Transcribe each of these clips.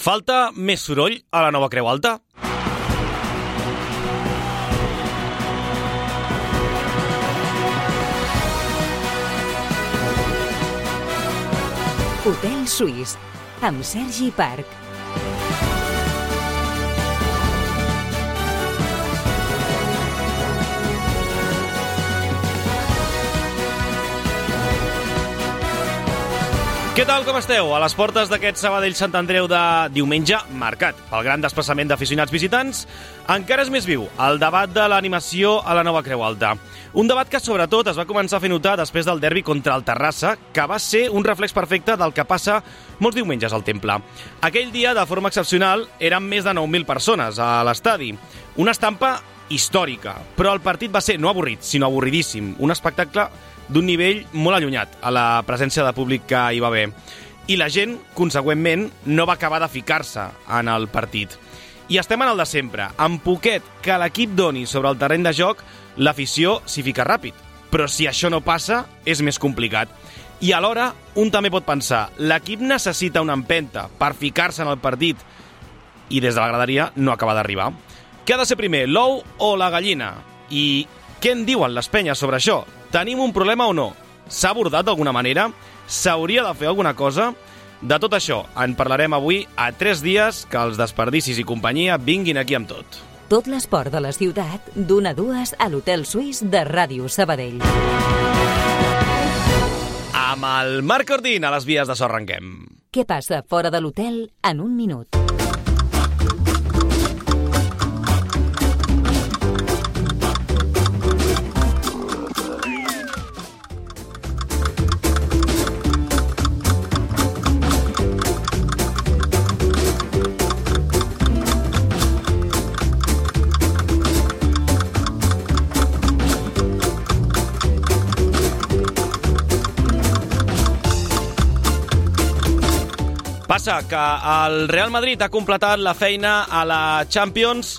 Falta més soroll a la nova Creu Alta? Hotel Suís, amb Sergi Parc. Què tal, com esteu? A les portes d'aquest Sabadell-Sant Andreu de diumenge, marcat pel gran desplaçament d'aficionats visitants, encara és més viu el debat de l'animació a la nova Creu Alta. Un debat que, sobretot, es va començar a fer notar després del derbi contra el Terrassa, que va ser un reflex perfecte del que passa molts diumenges al Temple. Aquell dia, de forma excepcional, eren més de 9.000 persones a l'estadi. Una estampa històrica, però el partit va ser no avorrit, sinó avorridíssim. Un espectacle d'un nivell molt allunyat a la presència de públic que hi va haver. I la gent, consegüentment, no va acabar de ficar-se en el partit. I estem en el de sempre. Amb poquet que l'equip doni sobre el terreny de joc, l'afició s'hi fica ràpid. Però si això no passa, és més complicat. I alhora, un també pot pensar, l'equip necessita una empenta per ficar-se en el partit i des de la graderia no acaba d'arribar. Què ha de ser primer, l'ou o la gallina? I què en diuen les penyes sobre això? Tenim un problema o no? S'ha abordat d'alguna manera? S'hauria de fer alguna cosa? De tot això en parlarem avui a 3 dies que els desperdicis i companyia vinguin aquí amb tot. Tot l'esport de la ciutat, d'1 a 2 a l'Hotel Suís de Ràdio Sabadell. Amb el Marc Ordín a les vies de so arrenquem. Què passa fora de l'hotel en un minut? Passa que el Real Madrid ha completat la feina a la Champions.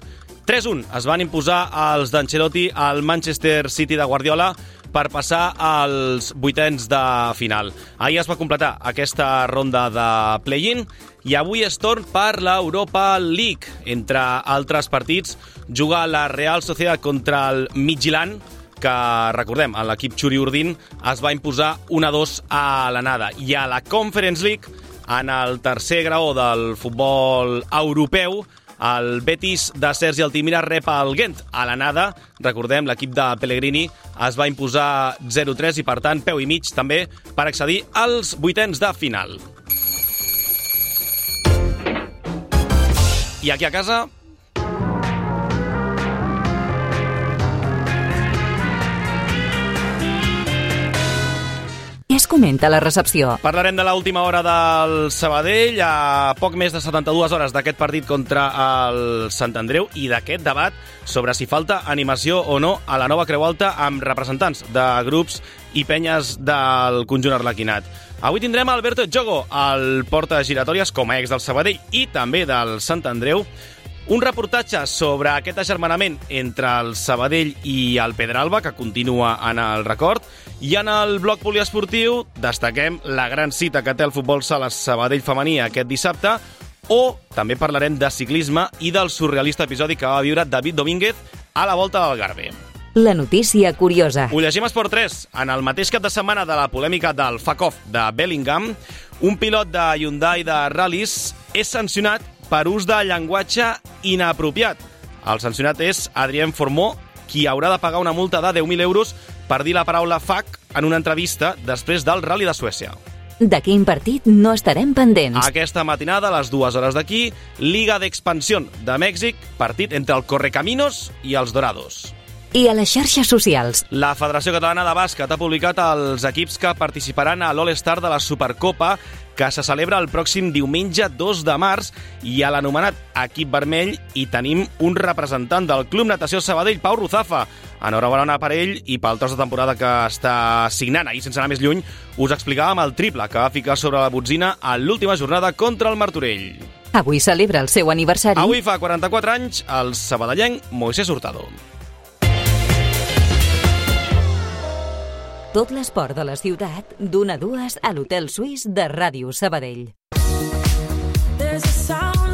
3-1 es van imposar els d'Ancelotti al Manchester City de Guardiola per passar als vuitens de final. Ahir es va completar aquesta ronda de play-in i avui és torn per l'Europa League. Entre altres partits, juga la Real Sociedad contra el Midtjylland, que, recordem, l'equip Xuri Urdin es va imposar 1-2 a l'anada. I a la Conference League, en el tercer graó del futbol europeu, el Betis de Sergi Altimira rep el Gent a l'anada. Recordem, l'equip de Pellegrini es va imposar 0-3 i, per tant, peu i mig també per accedir als vuitens de final. I aquí a casa Què es comenta a la recepció? parlarem de l'última hora del Sabadell, a poc més de 72 hores d'aquest partit contra el Sant Andreu i d'aquest debat sobre si falta animació o no a la nova Creu Alta amb representants de grups i penyes del conjunt arlequinat. Avui tindrem Alberto Jogo, el porta giratòries com a ex del Sabadell i també del Sant Andreu, un reportatge sobre aquest agermanament entre el Sabadell i el Pedralba, que continua en el record, i en el bloc poliesportiu destaquem la gran cita que té el futbol sala Sabadell femení aquest dissabte, o també parlarem de ciclisme i del surrealista episodi que va viure David Domínguez a la Volta del Garbe. La notícia curiosa. Ho llegim a Esport 3. En el mateix cap de setmana de la polèmica del fuck-off de Bellingham, un pilot de Hyundai de ral·lis és sancionat per ús de llenguatge inapropiat. El sancionat és Adrien Formó, qui haurà de pagar una multa de 10.000 euros per dir la paraula fuck en una entrevista després del Rally de Suècia. De quin partit no estarem pendents? Aquesta matinada, a les 2 hores d'aquí, Liga d'Expansió de Mèxic, partit entre el Correcaminos i els Dorados. I a les xarxes socials. La Federació Catalana de Bàsquet ha publicat els equips que participaran a l'All-Star de la Supercopa, que se celebra el pròxim diumenge 2 de març, i a l'anomenat equip vermell hi tenim un representant del Club Natació Sabadell, Pau Ruzafa. Enhorabona per ell i pel tros de temporada que està signant. Ahir, sense anar més lluny, us explicàvem el triple que va ficar sobre la botzina a l'última jornada contra el Martorell. Avui celebra el seu aniversari. Avui fa 44 anys el sabadellenc Moisés Hurtado. Tot l'esport de la ciutat, d'1 a 2 a l'Hotel Suís de Ràdio Sabadell. There's a sound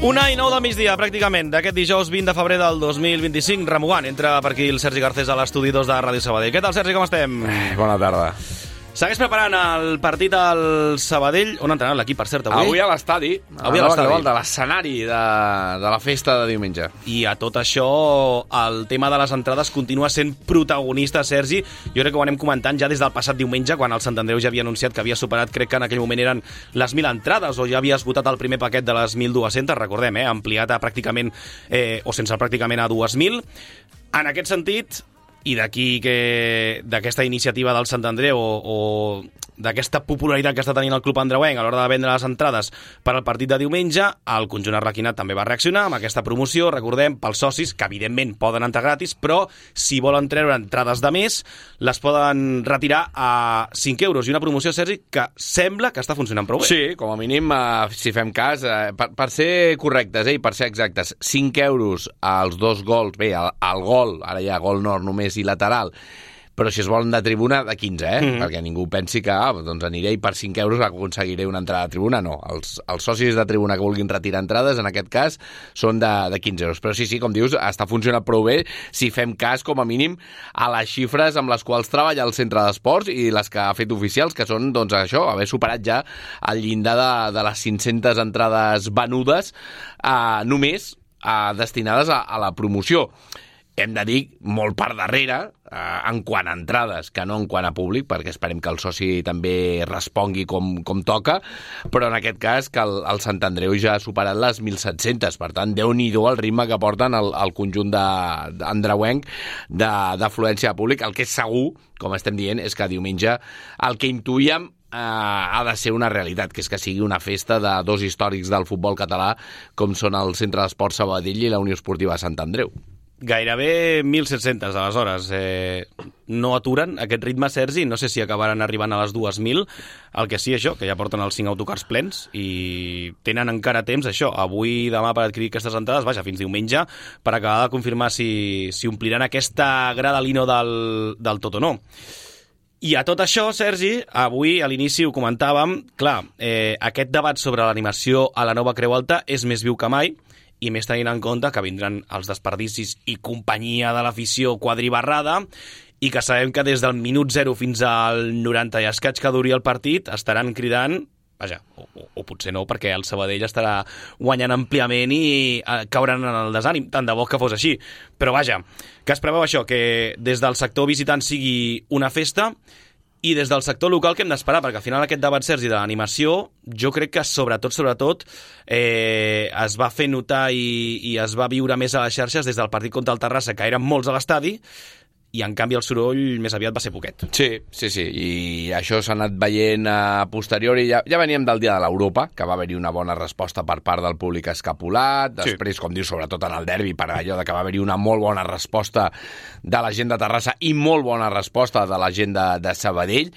1:09 del migdia, pràcticament, d'aquest dijous 20 de febrer del 2025. Remugant, entra per aquí el Sergi Garcés a l'estudi 2 de Ràdio Sabadell. Què tal, Sergi, com estem? Bona tarda. Segueix preparant el partit al Sabadell. On ha entrenat l'equip, per cert, avui? Avui a l'estadi. Avui a l'estadi. De l'escenari de la festa de diumenge. I a tot això, el tema de les entrades continua sent protagonista, Sergi. Jo crec que ho anem comentant ja des del passat diumenge, quan el Sant Andreu ja havia anunciat que havia superat, crec que en aquell moment eren les 1.000 entrades, o ja havia esgotat el primer paquet de les 1.200, recordem, ampliat a pràcticament, o sense pràcticament a 2.000. En aquest sentit, i d'aquesta iniciativa del Sant Andreu o d'aquesta popularitat que està tenint el club andreuenc a l'hora de vendre les entrades per al partit de diumenge, el conjunt arlequinat també va reaccionar amb aquesta promoció, recordem, pels socis, que evidentment poden entrar gratis, però si volen treure entrades de més, les poden retirar a 5 euros. I una promoció, Sergi, que sembla que està funcionant prou bé. Sí, com a mínim, si fem cas, per ser correctes i per ser exactes, 5 euros als 2 gols, bé, al gol, ara hi ha gol nord només i lateral, però si es volen de tribuna, de 15, perquè ningú pensi que doncs aniré i per 5 euros aconseguiré una entrada de tribuna. No, els socis de tribuna que vulguin retirar entrades, en aquest cas, són de 15 euros. Però sí, com dius, està funcionant prou bé si fem cas, com a mínim, a les xifres amb les quals treballa el centre d'esports i les que ha fet oficials, que són, doncs, això, haver superat ja el llindar de les 500 entrades venudes només destinades a la promoció. Hem de dir molt per darrere, en quant a entrades, que no en quant a públic, perquè esperem que el soci també respongui com toca, però en aquest cas que el Sant Andreu ja ha superat les 1.700, per tant, Déu-n'hi-do el ritme que porten el conjunt andreuenc d'afluència de públic. El que és segur, com estem dient, és que diumenge el que intuïem ha de ser una realitat, que és que sigui una festa de dos històrics del futbol català, com són el Centre d'Esports Sabadell i la Unió Esportiva Sant Andreu. Gairebé 1.700, aleshores. No aturen aquest ritme, Sergi. No sé si acabaran arribant a les 2.000. El que sí, això, que ja porten els 5 autocars plens i tenen encara temps, això, avui i demà per adquirir aquestes entrades, vaja, fins diumenge, per acabar de confirmar si ompliran aquesta gradalino del tot o no. I a tot això, Sergi, avui a l'inici ho comentàvem, clar, aquest debat sobre l'animació a la nova Creu Alta és més viu que mai, i més tenint en compte que vindran els desperdicis i companyia de l'afició quadribarrada i que sabem que des del minut 0 fins al 90 i escaig que duri el partit estaran cridant, vaja, o potser no, perquè el Sabadell estarà guanyant àmpliament i cauran en el desànim, tant de bo que fos així. Però vaja, que es preveu això, que des del sector visitant sigui una festa i des del sector local que hem d'esperar, perquè al final aquest debat, Sergi, de l'animació, jo crec que sobretot es va fer notar i es va viure més a les xarxes des del partit contra el Terrassa, que eren molts a l'estadi, i en canvi el soroll més aviat va ser poquet. Sí, i això s'ha anat veient a posteriori. Ja veníem del dia de l'Europa, que va haver-hi una bona resposta per part del públic escapulat, després, com dius, sobretot en el derbi, per allò de que va haver-hi una molt bona resposta de la gent de Terrassa i molt bona resposta de la gent de Sabadell.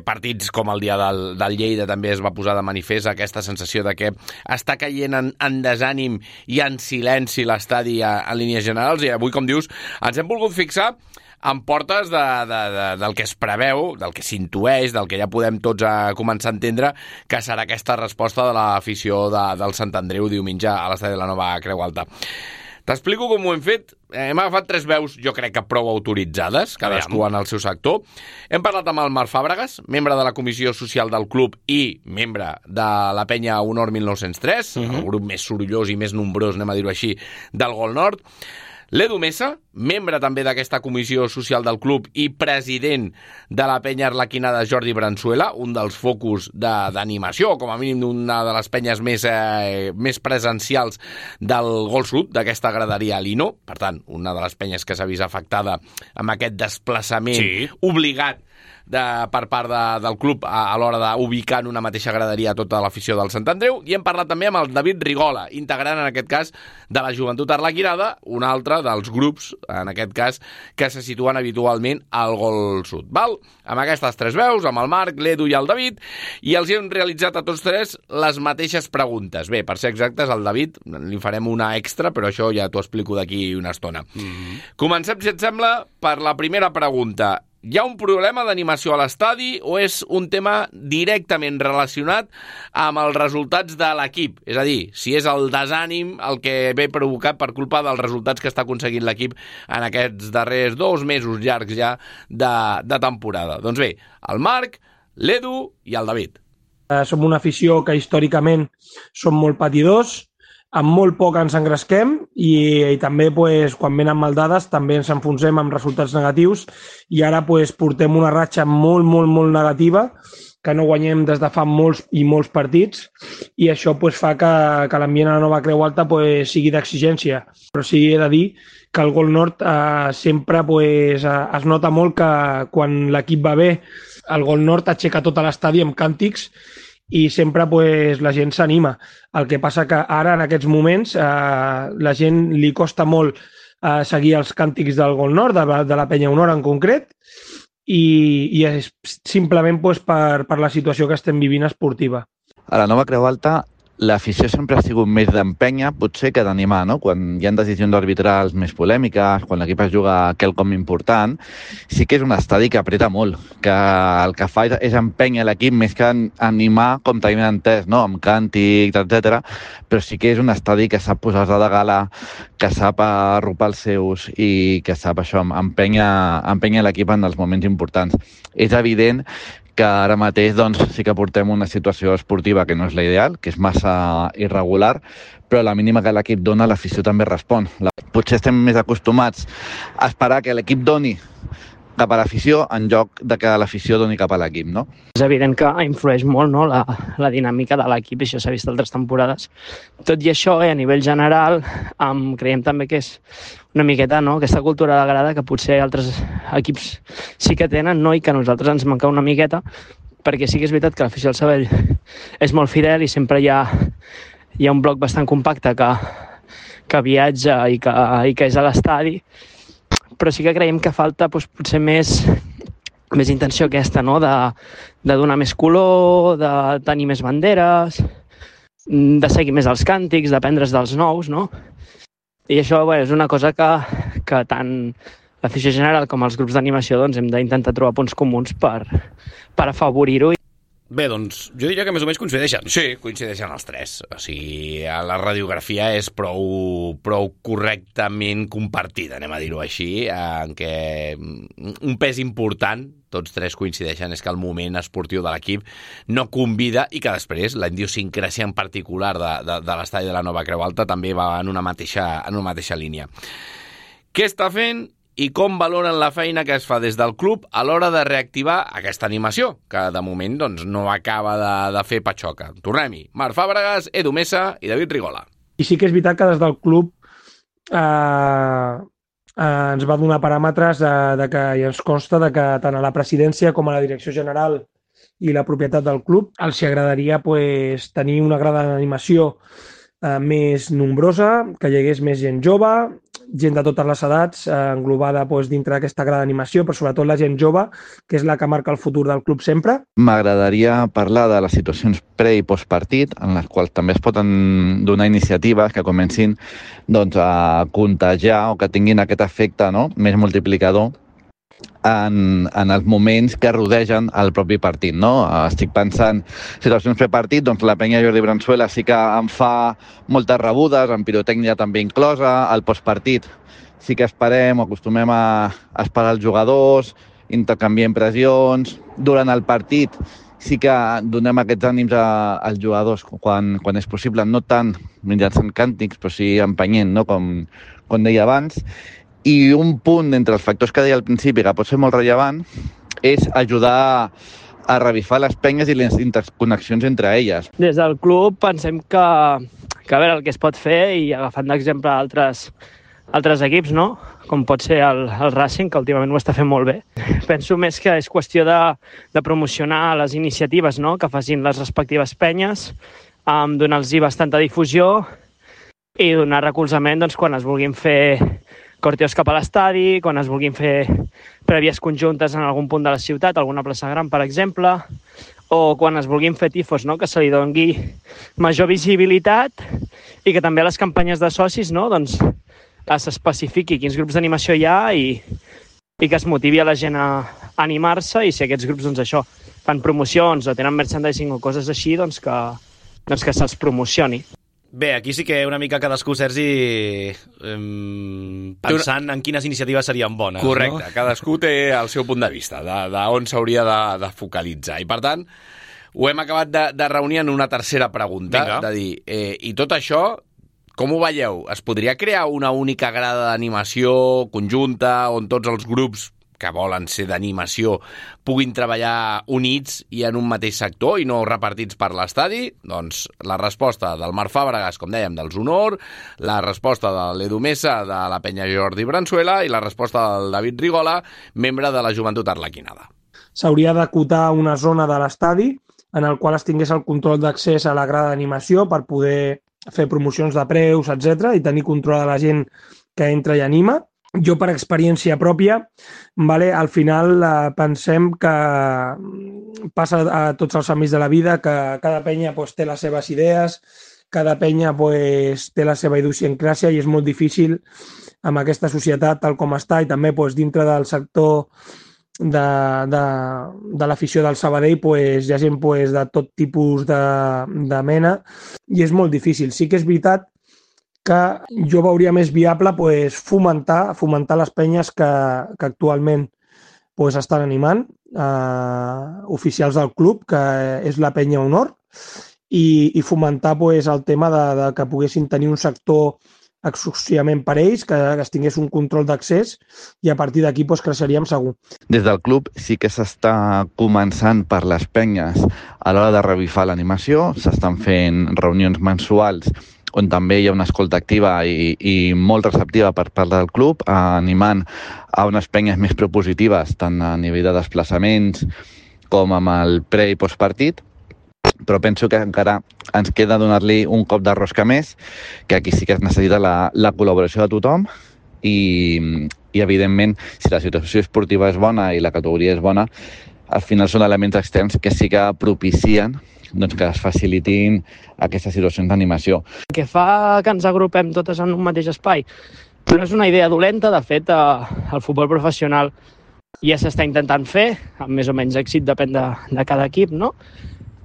Partits com el dia del Lleida també es va posar de manifest aquesta sensació de que està caient en desànim i en silenci l'estadi en línies generals, i avui, com dius, ens hem volgut fixar en portes del que es preveu, del que s'intueix, del que ja podem tots començar a entendre que serà aquesta resposta de l'afició del Sant Andreu diumenge a l'estadi de la nova Creu Alta. T'explico com ho hem fet. Hem agafat 3 veus, jo crec que prou autoritzades, cadascú en el seu sector. Hem parlat amb el Marc Fàbregas, membre de la Comissió Social del club i membre de la penya Honor 1903, el grup més sorollós i més nombrós, anem a dir-ho així, del Gol Nord. L'Edu Mesa, membre també d'aquesta comissió social del club i president de la penya arlequina de Jordi Branzuela, un dels focus d'animació, com a mínim d'una de les penyes més presencials del Gol Sud, d'aquesta graderia a Lino. Per tant, una de les penyes que s'ha vist afectada amb aquest desplaçament obligat per part del club a l'hora d'ubicar en una mateixa graderia tota l'afició del Sant Andreu. I hem parlat també amb el David Rigola, integrant en aquest cas de la Joventut Arlequinada, un altre dels grups, en aquest cas, que se situen habitualment al Gol Sud. Amb aquestes 3 veus, amb el Marc, l'Edu i el David, i els hem realitzat a tots 3 les mateixes preguntes. Bé, per ser exactes, al David li farem una extra, però això ja t'ho explico d'aquí una estona. Comencem, si et sembla, per la primera pregunta. hi ha un problema d'animació a l'estadi o és un tema directament relacionat amb els resultats de l'equip? És a dir, si és el desànim el que ve provocat per culpa dels resultats que està aconseguint l'equip en aquests darrers 2 mesos llargs ja de temporada. Doncs bé, el Marc, l'Edu i el David. Som una afició que històricament som molt patidors, amb molt poc ens engresquem i també quan venen maldades també ens enfonsem amb resultats negatius i ara portem una ratxa molt, molt, molt negativa que no guanyem des de fa molts i molts partits i això fa que l'ambient a la Nova Creu Alta sigui d'exigència. Però sí he de dir que el Gol Nord sempre es nota molt que quan l'equip va bé el Gol Nord aixeca tot l'estadi amb càntics i sempre la gent s'anima. El que passa que ara, en aquests moments, la gent li costa molt seguir els càntics del Gol Nord, de la Penya Honor en concret, i és simplement per la situació que estem vivint esportiva. A la Nova Creu Alta l'afició sempre ha sigut més d'empènyer, potser que d'animar, no? Quan hi ha decisions arbitrals més polèmiques, quan l'equip es juga quelcom important, sí que és un estadi que apreta molt, que el que fa és empènyer l'equip més que animar, com tenim entès, no? Amb càntics, etc. Però sí que és un estadi que sap posar-se de gala, que sap arropar els seus i que sap això, empènyer l'equip en els moments importants. És evident que ara mateix sí que portem una situació esportiva que no és la ideal, que és massa irregular, però la mínima que l'equip dona, l'afició també respon. Potser estem més acostumats a esperar que l'equip doni cap a l'afició en lloc de que l'afició doni cap a l'equip, no? És evident que influeix molt, no, la dinàmica de l'equip, això s'ha vist altres temporades. Tot i això, a nivell general, creiem també que és una miqueta, no, aquesta cultura de grada que potser altres equips sí que tenen, no, i que a nosaltres ens manca una miqueta, perquè sí que és veritat que l'afició del Sabadell és molt fidel i sempre hi ha un bloc bastant compacte que viatja i que és a l'estadi, però sí que creiem que falta potser més intenció aquesta, no? De donar més color, de tenir més banderes, de seguir més els càntics, d'aprendre's dels nous, no? I això és una cosa que tant l'afició general com els grups d'animació hem d'intentar trobar punts comuns per afavorir-ho. Bé, doncs, jo diria que més o menys coincideixen. Sí, coincideixen els tres. O sigui, la radiografia és prou correctament compartida, anem a dir-ho així, en què un pes important, tots tres coincideixen, és que el moment esportiu de l'equip no convida i que després la idiosincràsia en particular de l'estadi de la Nova Creu Alta també va en una mateixa línia. Què està fent i com valoren la feina que es fa des del club a l'hora de reactivar aquesta animació, que de moment no acaba de fer patxoca? Tornem-hi. Marc Fàbregas, Edu Mesa i David Rigola. I sí que és veritat que des del club ens va donar paràmetres i ens consta que tant a la presidència com a la direcció general i la propietat del club els agradaria tenir una grada d'animació més nombrosa, que hi hagués més gent jove, gent de totes les edats englobada dintre d'aquesta grada d'animació, però sobretot la gent jove, que és la que marca el futur del club sempre. M'agradaria parlar de les situacions pre- i postpartit, en les quals també es poden donar iniciatives que comencin a contagiar o que tinguin aquest efecte, no?, més multiplicador en els moments que rodegen el propi partit, no? Estic pensant situacions prepartit, la penya Jordi Branzuela sí que em fa moltes rebudes, amb pirotècnia també inclosa. Al postpartit sí que acostumem a esperar els jugadors, intercanviem pressions. Durant el partit sí que donem aquests ànims als jugadors quan és possible, no tant mitjançant càntics, però sí empenyent, no? Com deia abans. I un punt entre els factors que deia al principi que pot ser molt rellevant és ajudar a revifar les penyes i les interconnexions entre elles. Des del club pensem que a veure el que es pot fer, i agafant d'exemple altres equips, no?, com pot ser el Racing, que últimament ho està fent molt bé. Penso més que és qüestió de promocionar les iniciatives, no?, que facin les respectives penyes, donar-los bastanta difusió i donar recolzament quan es vulguin fer corteos cap a l'estadi, quan es vulguin fer prèvies conjuntes en algun punt de la ciutat, alguna plaça gran, per exemple, o quan es vulguin fer tifos, no?, que se li doni major visibilitat i que també a les campanyes de socis, no?, s'especifiqui quins grups d'animació hi ha i que es motivi a la gent a animar-se, i si aquests grups, doncs això, fan promocions o tenen merchandising o coses així, doncs que se'ls promocioni. Bé, aquí sí que una mica cadascú, Sergi, pensant en quines iniciatives serien bones. Correcte, no? Cadascú té el seu punt de vista, d'on s'hauria de focalitzar. I, per tant, ho hem acabat de reunir en una tercera pregunta. Vinga. De dir, i tot això, com ho veieu? Es podria crear una única grada d'animació conjunta on tots els grups que volen ser d'animació puguin treballar units i en un mateix sector i no repartits per l'estadi? Doncs la resposta del Marc Fàbregas, com dèiem, dels Honor, la resposta de l'Edu Mesa, de la penya Jordi Branzuela, i la resposta del David Rigola, membre de la Joventut Arlequinada. S'hauria d'acotar una zona de l'estadi en el qual es tingués el control d'accés a la grada d'animació per poder fer promocions de preus, etc, i tenir control de la gent que entra i anima. Jo, per experiència pròpia, al final pensem que passa a tots els àmbits de la vida, que cada penya té les seves idees, cada penya té la seva idiosincràsia, i és molt difícil amb aquesta societat tal com està, i també dintre del sector de l'afició del Sabadell hi ha gent de tot tipus de mena, i és molt difícil. Sí que és veritat que jo veuria més viable fomentar les penyes que actualment estan animant, oficials del club, que és la penya Honor, i fomentar el tema de que poguessin tenir un sector exclusivament per ells, que es tingués un control d'accés, i a partir d'aquí creixeríem segur. Des del club sí que s'està començant per les penyes a l'hora de revifar l'animació, s'estan fent reunions mensuals on també hi ha una escolta activa i molt receptiva per part del club, animant a unes penyes més propositives, tant a nivell de desplaçaments com amb el pre- i postpartit, però penso que encara ens queda donar-li un cop de rosca més, que aquí sí que es necessita la col·laboració de tothom, i evidentment, si la situació esportiva és bona i la categoria és bona, al final són elements externs que sí que propicien que es facilitin aquestes situacions d'animació. El que fa que ens agrupem totes en un mateix espai no és una idea dolenta. De fet, el futbol professional ja s'està intentant fer, amb més o menys èxit, depèn de cada equip, no?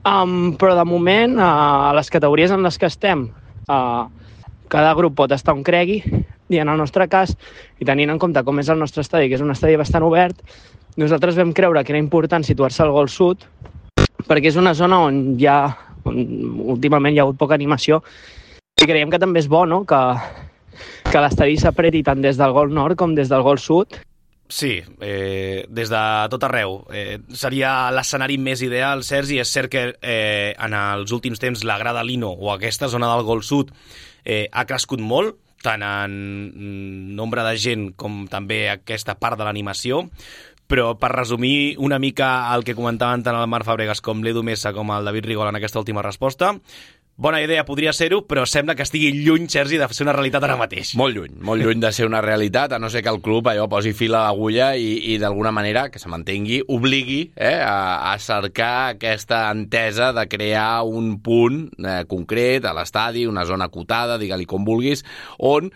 Però de moment, a les categories en les que estem, cada grup pot estar on cregui, i en el nostre cas, i tenint en compte com és el nostre estadi, que és un estadi bastant obert, nosaltres vam creure que era important situar-se al Gol Sud, perquè és una zona on últimament hi ha hagut poca animació, i creiem que també és bo, no?, que l'estadi s'apreti tant des del Gol Nord com des del Gol Sud. Sí, des de tot arreu. Seria l'escenari més ideal, Sergi. És cert que en els últims temps la grada Lino o aquesta zona del Gol Sud ha crescut molt, tant en nombre de gent com també aquesta part de l'animació. Però per resumir una mica el que comentaven tant el Marc Fàbregas com l'Edu Mesa com el David Rigola en aquesta última resposta, bona idea podria ser-ho, però sembla que estigui lluny, Sergi, de ser una realitat ara mateix. Molt lluny de ser una realitat, a no ser que el club posi fil a l'agulla i d'alguna manera, que se mantengui, obligui a cercar aquesta entesa de crear un punt concret a l'estadi, una zona acotada, digue-li com vulguis, on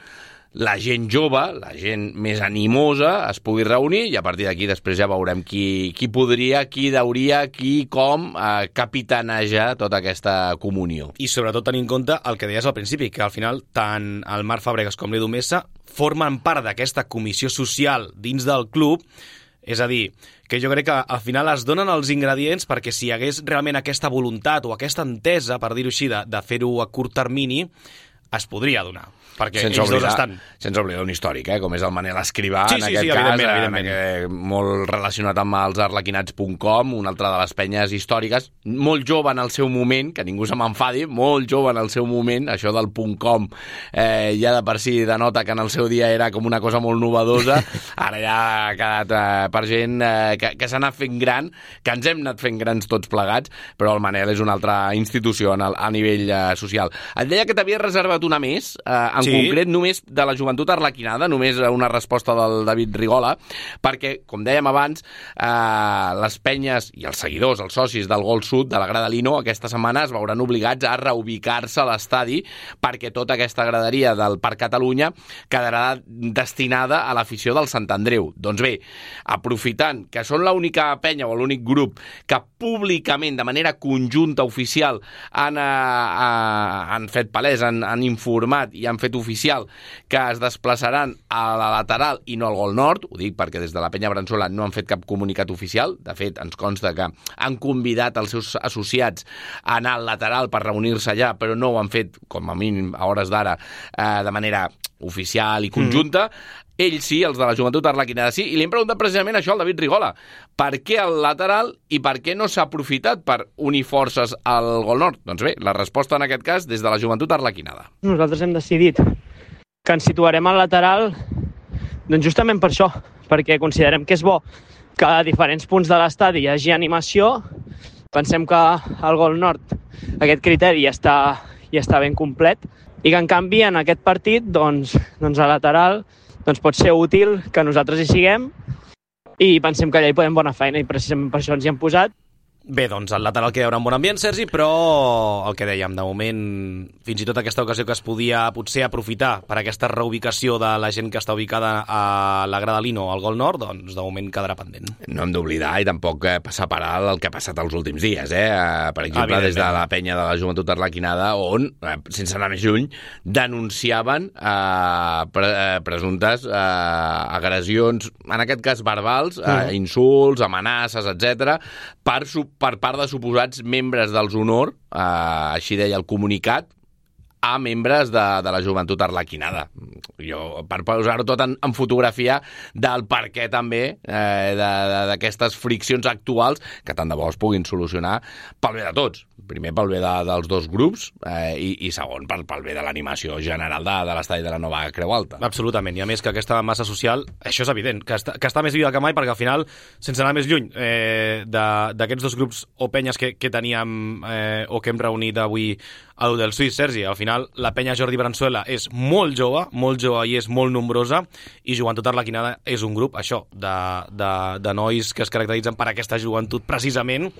la gent jove, la gent més animosa es pugui reunir, i a partir d'aquí després ja veurem qui podria, qui deuria, qui com capitanejar tota aquesta comunió. I sobretot tenir en compte el que deies al principi, que al final tant el Marc Fàbregas com l'Edu Mesa formen part d'aquesta comissió social dins del club. És a dir, que jo crec que al final es donen els ingredients perquè si hi hagués realment aquesta voluntat o aquesta entesa, per dir-ho així, de fer-ho a curt termini, es podria donar, perquè ells dos estan. Sense oblidar un històric, com és el Manel Escrivà, en aquest cas, evidentment. Molt relacionat amb els arlequinats.com, una altra de les penyes històriques, molt jove en el seu moment, que ningú se m'enfadi, molt jove en el seu moment, això del .com ja de per si denota que en el seu dia era com una cosa molt novedosa, ara ja ha quedat per gent que s'ha anat fent gran, que ens hem anat fent grans tots plegats, però el Manel és una altra institució a nivell social. Et deia que t'havia reservat una més, en en concret només de la Joventut Arlequinada, només una resposta del David Rigola, perquè, com dèiem abans, les penyes i els seguidors, els socis del Gol Sud, de la Grada Lino, aquesta setmana es veuran obligats a reubicar-se a l'estadi perquè tota aquesta graderia del Parc Catalunya quedarà destinada a l'afició del Sant Andreu. Doncs bé, aprofitant que són l'única penya o l'únic grup que públicament, de manera conjunta, oficial, han fet palès, han informat i han fet oficial que es desplaçaran a la lateral i no al Gol Nord, ho dic perquè des de la penya Bransola no han fet cap comunicat oficial, de fet ens consta que han convidat els seus associats a anar al lateral per reunir-se allà, però no ho han fet, com a mínim a hores d'ara, de manera oficial i conjunta. Ells sí, els de la Joventut Arlequinada sí, i li hem preguntat precisament això al David Rigola. Per què el lateral i per què no s'ha aprofitat per unir forces al Gol Nord? Doncs bé, la resposta en aquest cas des de la Joventut Arlequinada. Nosaltres hem decidit que ens situarem al lateral doncs justament per això, perquè considerem que és bo que a diferents punts de l'estadi hi hagi animació. Pensem que al Gol Nord aquest criteri ja està ben complet i que en canvi en aquest partit doncs a lateral pot ser útil que nosaltres hi siguem i pensem que allà hi podem bona feina i precisament per això ens hi hem posat. Bé, doncs el lateral que hi haurà un bon ambient, Sergi, però el que dèiem, de moment, fins i tot aquesta ocasió que es podia potser aprofitar per aquesta reubicació de la gent que està ubicada a la Grada Lino al Gol Nord, doncs de moment quedarà pendent. No hem d'oblidar i tampoc passar per alt el que ha passat els últims dies, Per exemple, des de la penya de la Joventut Arlequinada, on, sense anar més lluny, denunciaven presumptes agressions, en aquest cas verbals, insults, amenaces, etc., per part de suposats membres dels Honor, així deia el comunicat, a membres de la Joventut Arlequinada. Jo, per posar-ho tot en fotografia del per què també d'aquestes friccions actuals que tant de bo es puguin solucionar pel bé de tots. Primer pel bé dels dos grups i segon pel bé de l'animació general de l'estadi de la Nova Creu Alta. Absolutament, i a més que aquesta massa social, això és evident, que està més viva que mai, perquè al final, sense anar més lluny d'aquests dos grups o penyes que teníem o que hem reunit avui a l'Hotel Suís, Sergi, al final la penya Jordi Bransuela és molt jove i és molt nombrosa, i Joventut Arlequinada és un grup, això, de nois que es caracteritzen per aquesta joventut precisament,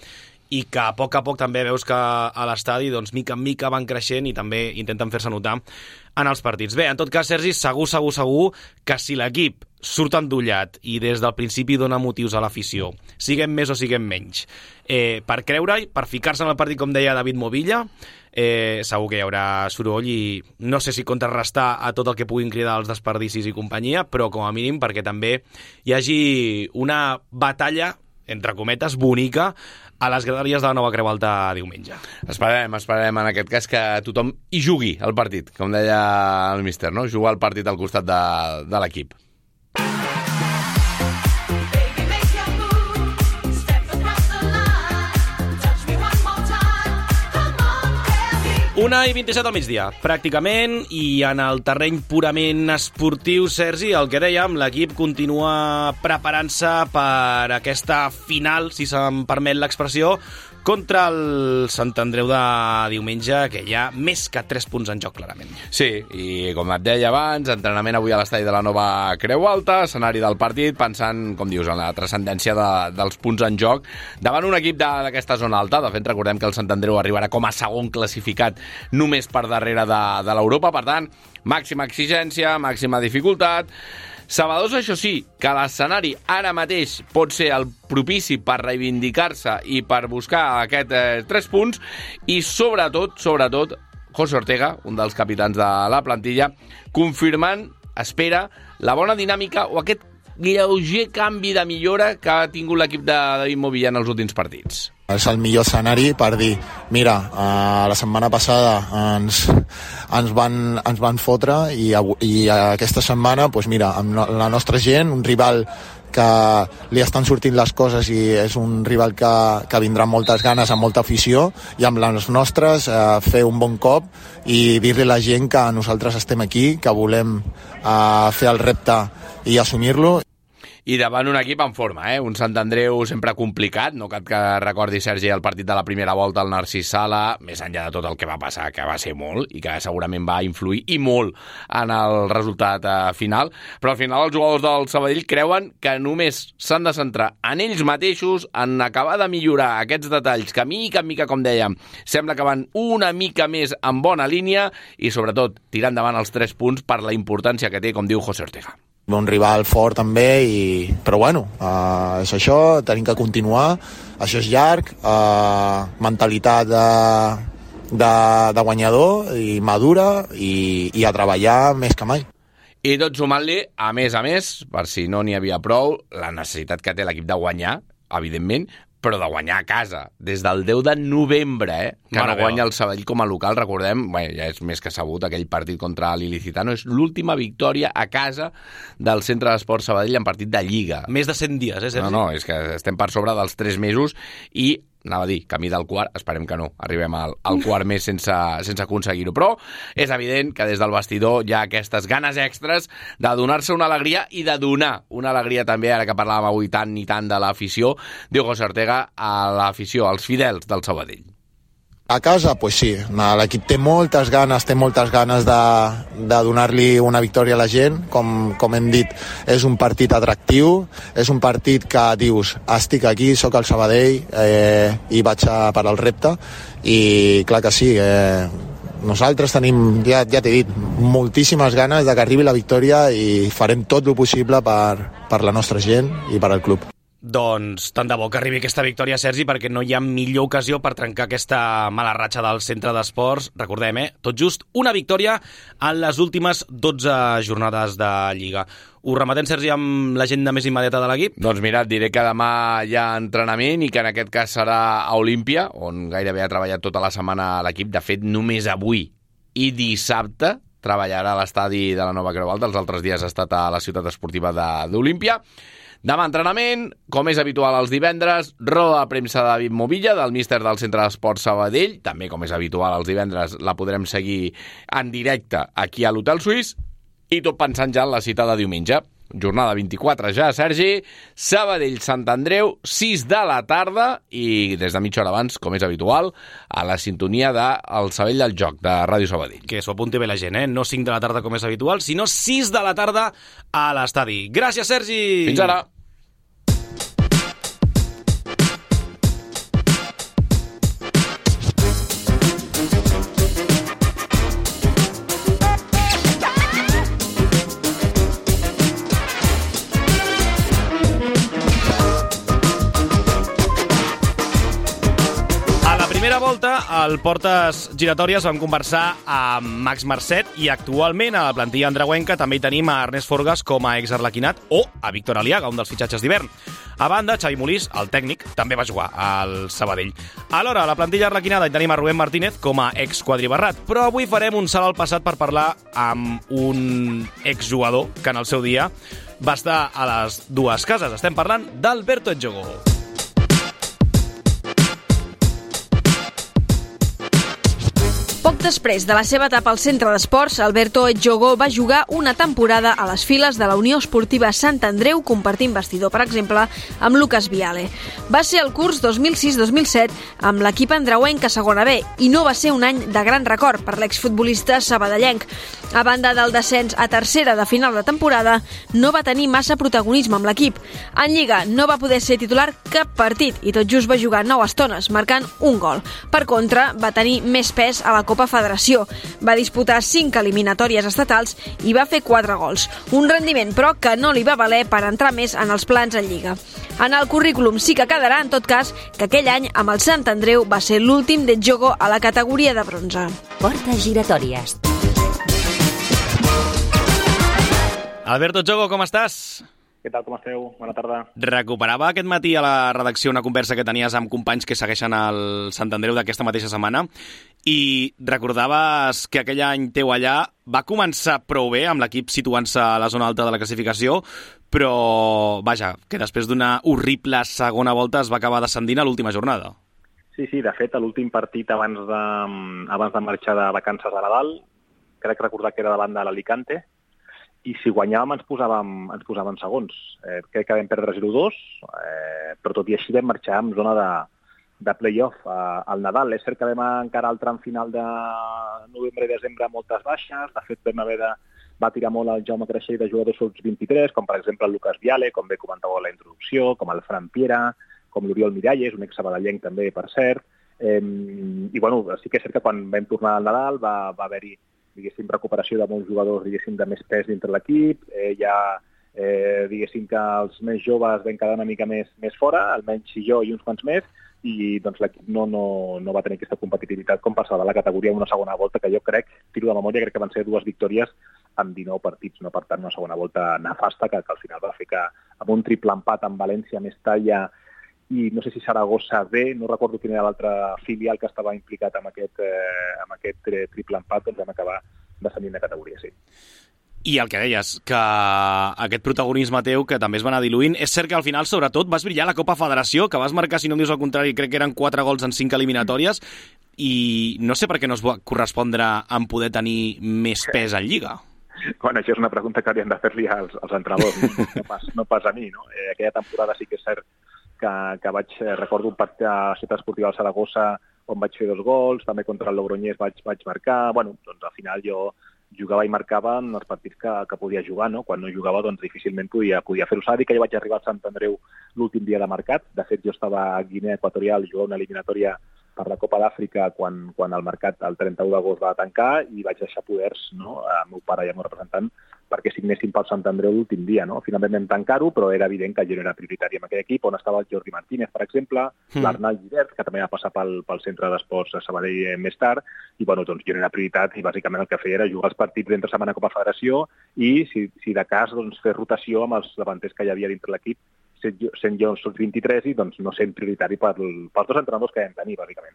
i que a poc també veus que a l'estadi, doncs, mica en mica van creixent i també intenten fer-se notar en els partits. Bé, en tot cas, Sergi, segur que si l'equip surt endollat i des del principi dona motius a l'afició, siguem més o siguem menys, per creure-hi, per ficar-se en el partit, com deia David Movilla, segur que hi haurà soroll i no sé si contrarrestar a tot el que puguin cridar els desperdicis i companyia, però com a mínim perquè també hi hagi una batalla, entre cometes, bonica, a les graderies de la Nova Creu Alta diumenge. Esperem en aquest cas que tothom hi jugui al partit, com deia el míster, no? Jugar al partit al costat de l'equip. 1:27 al migdia, pràcticament, i en el terreny purament esportiu, Sergi, el que dèiem, l'equip continua preparant-se per aquesta final, si se'm permet l'expressió, contra el Sant Andreu de diumenge, que hi ha més que 3 punts en joc, clarament. Sí, i com et deia abans, entrenament avui a l'estadi de la Nova Creu Alta, escenari del partit, pensant, com dius, en la transcendència dels punts en joc, davant un equip d'aquesta zona alta. De fet, recordem que el Sant Andreu arribarà com a segon classificat només per darrere de l'Europa, per tant, màxima exigència, màxima dificultat. Sabedors, això sí, que l'escenari ara mateix pot ser el propici per reivindicar-se i per buscar aquests 3 punts, i sobretot, José Ortega, un dels capitans de la plantilla, confirmant, espera, la bona dinàmica o aquest lleuger canvi de millora que ha tingut l'equip de David Movilla en els últims partits. És el millor escenari per dir, mira, la setmana passada ens van fotre i aquesta setmana, doncs mira, amb la nostra gent, un rival que li estan sortint les coses i és un rival que vindrà amb moltes ganes, amb molta afició, i amb les nostres fer un bon cop i dir-li a la gent que nosaltres estem aquí, que volem fer el repte i assumir-lo. I davant un equip en forma, un Sant Andreu sempre complicat, no cal que recordi, Sergi, el partit de la primera volta al Narcís Sala, més enllà de tot el que va passar, que va ser molt, i que segurament va influir i molt en el resultat final, però al final els jugadors del Sabadell creuen que només s'han de centrar en ells mateixos, en acabar de millorar aquests detalls que mica en mica, com dèiem, sembla que van una mica més en bona línia i sobretot tirar endavant els 3 punts per la importància que té, com diu José Ortega. Un rival fort també, però bueno, és això, tenim que continuar, això és llarg, mentalitat de guanyador i madura i a treballar més que mai. I tot sumant-li, a més, per si no n'hi havia prou, la necessitat que té l'equip de guanyar, evidentment, però de guanyar a casa, des del 10 de novembre, que no guanya el Sabadell com a local, recordem, ja és més que sabut, aquell partit contra l'Ilicitano, és l'última victòria a casa del Centre d'Esports Sabadell en partit de Lliga. Més de 100 dies, Sergi? No, és que estem per sobre dels 3 mesos i anava a dir, camí del quart, esperem que no, arribem al quart mes sense aconseguir-ho, però és evident que des del vestidor hi ha aquestes ganes extres de donar-se una alegria i de donar una alegria també, ara que parlàvem avui tant i tant de l'afició, diu José Ortega, a l'afició, als fidels del Sabadell. A casa, pues sí, l'equip té moltes ganes de donar-li una victòria a la gent, com hem dit, és un partit atractiu, és un partit que dius, estic aquí, sóc al Sabadell i vaig a per al repte, i clar que sí, nosaltres tenim, ja t'he dit, moltíssimes ganes de que arribi la victòria i farem tot el possible per la nostra gent i per al club. Doncs tant de bo que arribi aquesta victòria, Sergi, perquè no hi ha millor ocasió per trencar aquesta mala ratxa del centre d'esports. Recordem, tot just una victòria en les últimes 12 jornades de Lliga. Ho rematem, Sergi, amb l'agenda més immediata de l'equip? Doncs mira, et diré que demà hi ha entrenament i que en aquest cas serà a Olímpia, on gairebé ha treballat tota la setmana l'equip. De fet, només avui i dissabte treballarà a l'estadi de la Nova Creu Alta. Els altres dies ha estat a la ciutat esportiva d'Olímpia. Demà entrenament, com és habitual els divendres, roda de premsa de David Movilla, del míster del Centre d'Esports Sabadell. També, com és habitual els divendres, la podrem seguir en directe aquí a l'Hotel Suís. I tot pensant ja en la cita de diumenge. Jornada 24 ja, Sergi. Sabadell-Sant Andreu, 6 de la tarda, i des de mitja hora abans, com és habitual, a la sintonia del Sabell del Joc, de Ràdio Sabadell. Que s'ho apunti bé la gent, No 5 de la tarda com és habitual, sinó 6 de la tarda a l'estadi. Gràcies, Sergi! Fins ara! Volta, al Portes Giratòries vam conversar amb Max Marcet i actualment a la plantilla andreuenca també hi tenim a Ernest Forgas com a exarlequinat o a Víctor Aliaga, un dels fitxatges d'hivern. A banda, Xavi Molís, el tècnic, també va jugar al Sabadell. Alhora, a la plantilla arlequinada hi tenim a Rubén Martínez com a exquadribarrat, però avui farem un salt al passat per parlar amb un exjugador que en el seu dia va estar a les dues cases. Estem parlant d'Alberto Edjogo. Poc després de la seva etapa al centre d'esports, Alberto Edjogo va jugar una temporada a les files de la Unió Esportiva Sant Andreu, compartint vestidor, per exemple, amb Lucas Viale. Va ser el curs 2006-2007 amb l'equip andreuenc a segona B i no va ser un any de gran record per l'exfutbolista sabadellenc. A banda del descens a tercera de final de temporada, no va tenir massa protagonisme amb l'equip. En Lliga no va poder ser titular cap partit i tot just va jugar 9 estones, marcant un gol. Per contra, va tenir més pes a la Copa Federació. Va disputar 5 eliminatòries estatals i va fer 4 gols. Un rendiment, però, que no li va valer per entrar més en els plans en Lliga. En el currículum sí que quedarà, en tot cas, que aquell any amb el Sant Andreu va ser l'últim d'Edjogo a la categoria de bronze. Portes giratòries. Alberto Edjogo, com estàs? Què tal, com esteu? Bona tarda. Recuperava aquest matí a la redacció una conversa que tenies amb companys que segueixen el Sant Andreu d'aquesta mateixa setmana i recordaves que aquell any teu allà va començar prou bé amb l'equip situant-se a la zona alta de la classificació, però, vaja, que després d'una horrible segona volta es va acabar descendint a l'última jornada. Sí, de fet, a l'últim partit abans de marxar de vacances a Nadal, crec recordar que era davant de l'Alicante, i si guanyàvem ens posàvem segons. Crec que vam perdre 0-2, però tot i així vam marxar en zona de play-off al Nadal. És cert que vam encarar el tram final de novembre i desembre amb moltes baixes, de fet vam haver va tirar molt el Jaume Creixell de jugadors sub 23, com per exemple el Lucas Viale, com bé comentava a la introducció, com el Fran Piera, com l'Oriol Miralles, un ex-sabadellenc també, per cert. I bueno, sí que és cert que quan vam tornar al Nadal va haver-hi, diguéssim, recuperació de molts jugadors, diguéssim, de més pes dintre l'equip. Diguéssim que els més joves vam quedar una mica més fora, almenys jo i uns quants més, i doncs l'equip no va tenir aquesta competitivitat com passava a la categoria en una segona volta, que jo crec, tiro de memòria, crec que van ser 2 victòries amb 19 partits, no? Per tant, una segona volta nefasta que al final va fer que amb un triple empat amb València, Mestalla i no sé si Saragossa B, no recordo quin era l'altre filial que estava implicat amb aquest triple empat, doncs vam acabar descendint de categoria, sí. I el que deies, que aquest protagonisme teu, que també es va anar diluint, és cert que al final, sobretot, vas brillar a la Copa Federació, que vas marcar, si no em dius el contrari, crec que eren 4 gols en 5 eliminatòries, i no sé per què no es va correspondre en poder tenir més pes en Lliga. Bueno, això és una pregunta que haurien de fer-li als entrenadors, no pas a mi, no? Aquella temporada sí que és cert que recordo un partit a Ciutat Esportiva del Saragossa on vaig fer 2 gols, també contra el Logroñés vaig marcar. Bueno, doncs al final jo jugava i marcava en els partits que podia jugar, no? Quan no jugava, doncs difícilment podia fer-ho. S'ha de dir que jo vaig arribar al Sant Andreu l'últim dia de mercat. De fet, jo estava a Guinea Equatorial jugant una eliminatòria per la Copa d'Àfrica quan el mercat el 31 d'agost va tancar i vaig deixar poders, no, al meu pare i al meu representant perquè signessin pel Sant Andreu l'últim dia, no? Finalment vam tancar-ho, però era evident que jo no era prioritari en aquell equip, on estava el Jordi Martínez, per exemple, l'Arnal Givert, que també va passar pel centre d'esports a Sabadell més tard, i bueno, doncs jo no era prioritat i bàsicament el que feia era jugar els partits d'entre setmana Copa Federació i, si de cas, doncs, fer rotació amb els davanters que hi havia dintre l'equip, sent jo sub 23 i doncs no sent prioritari pels 2 entrenadors que vam tenir, bàsicament.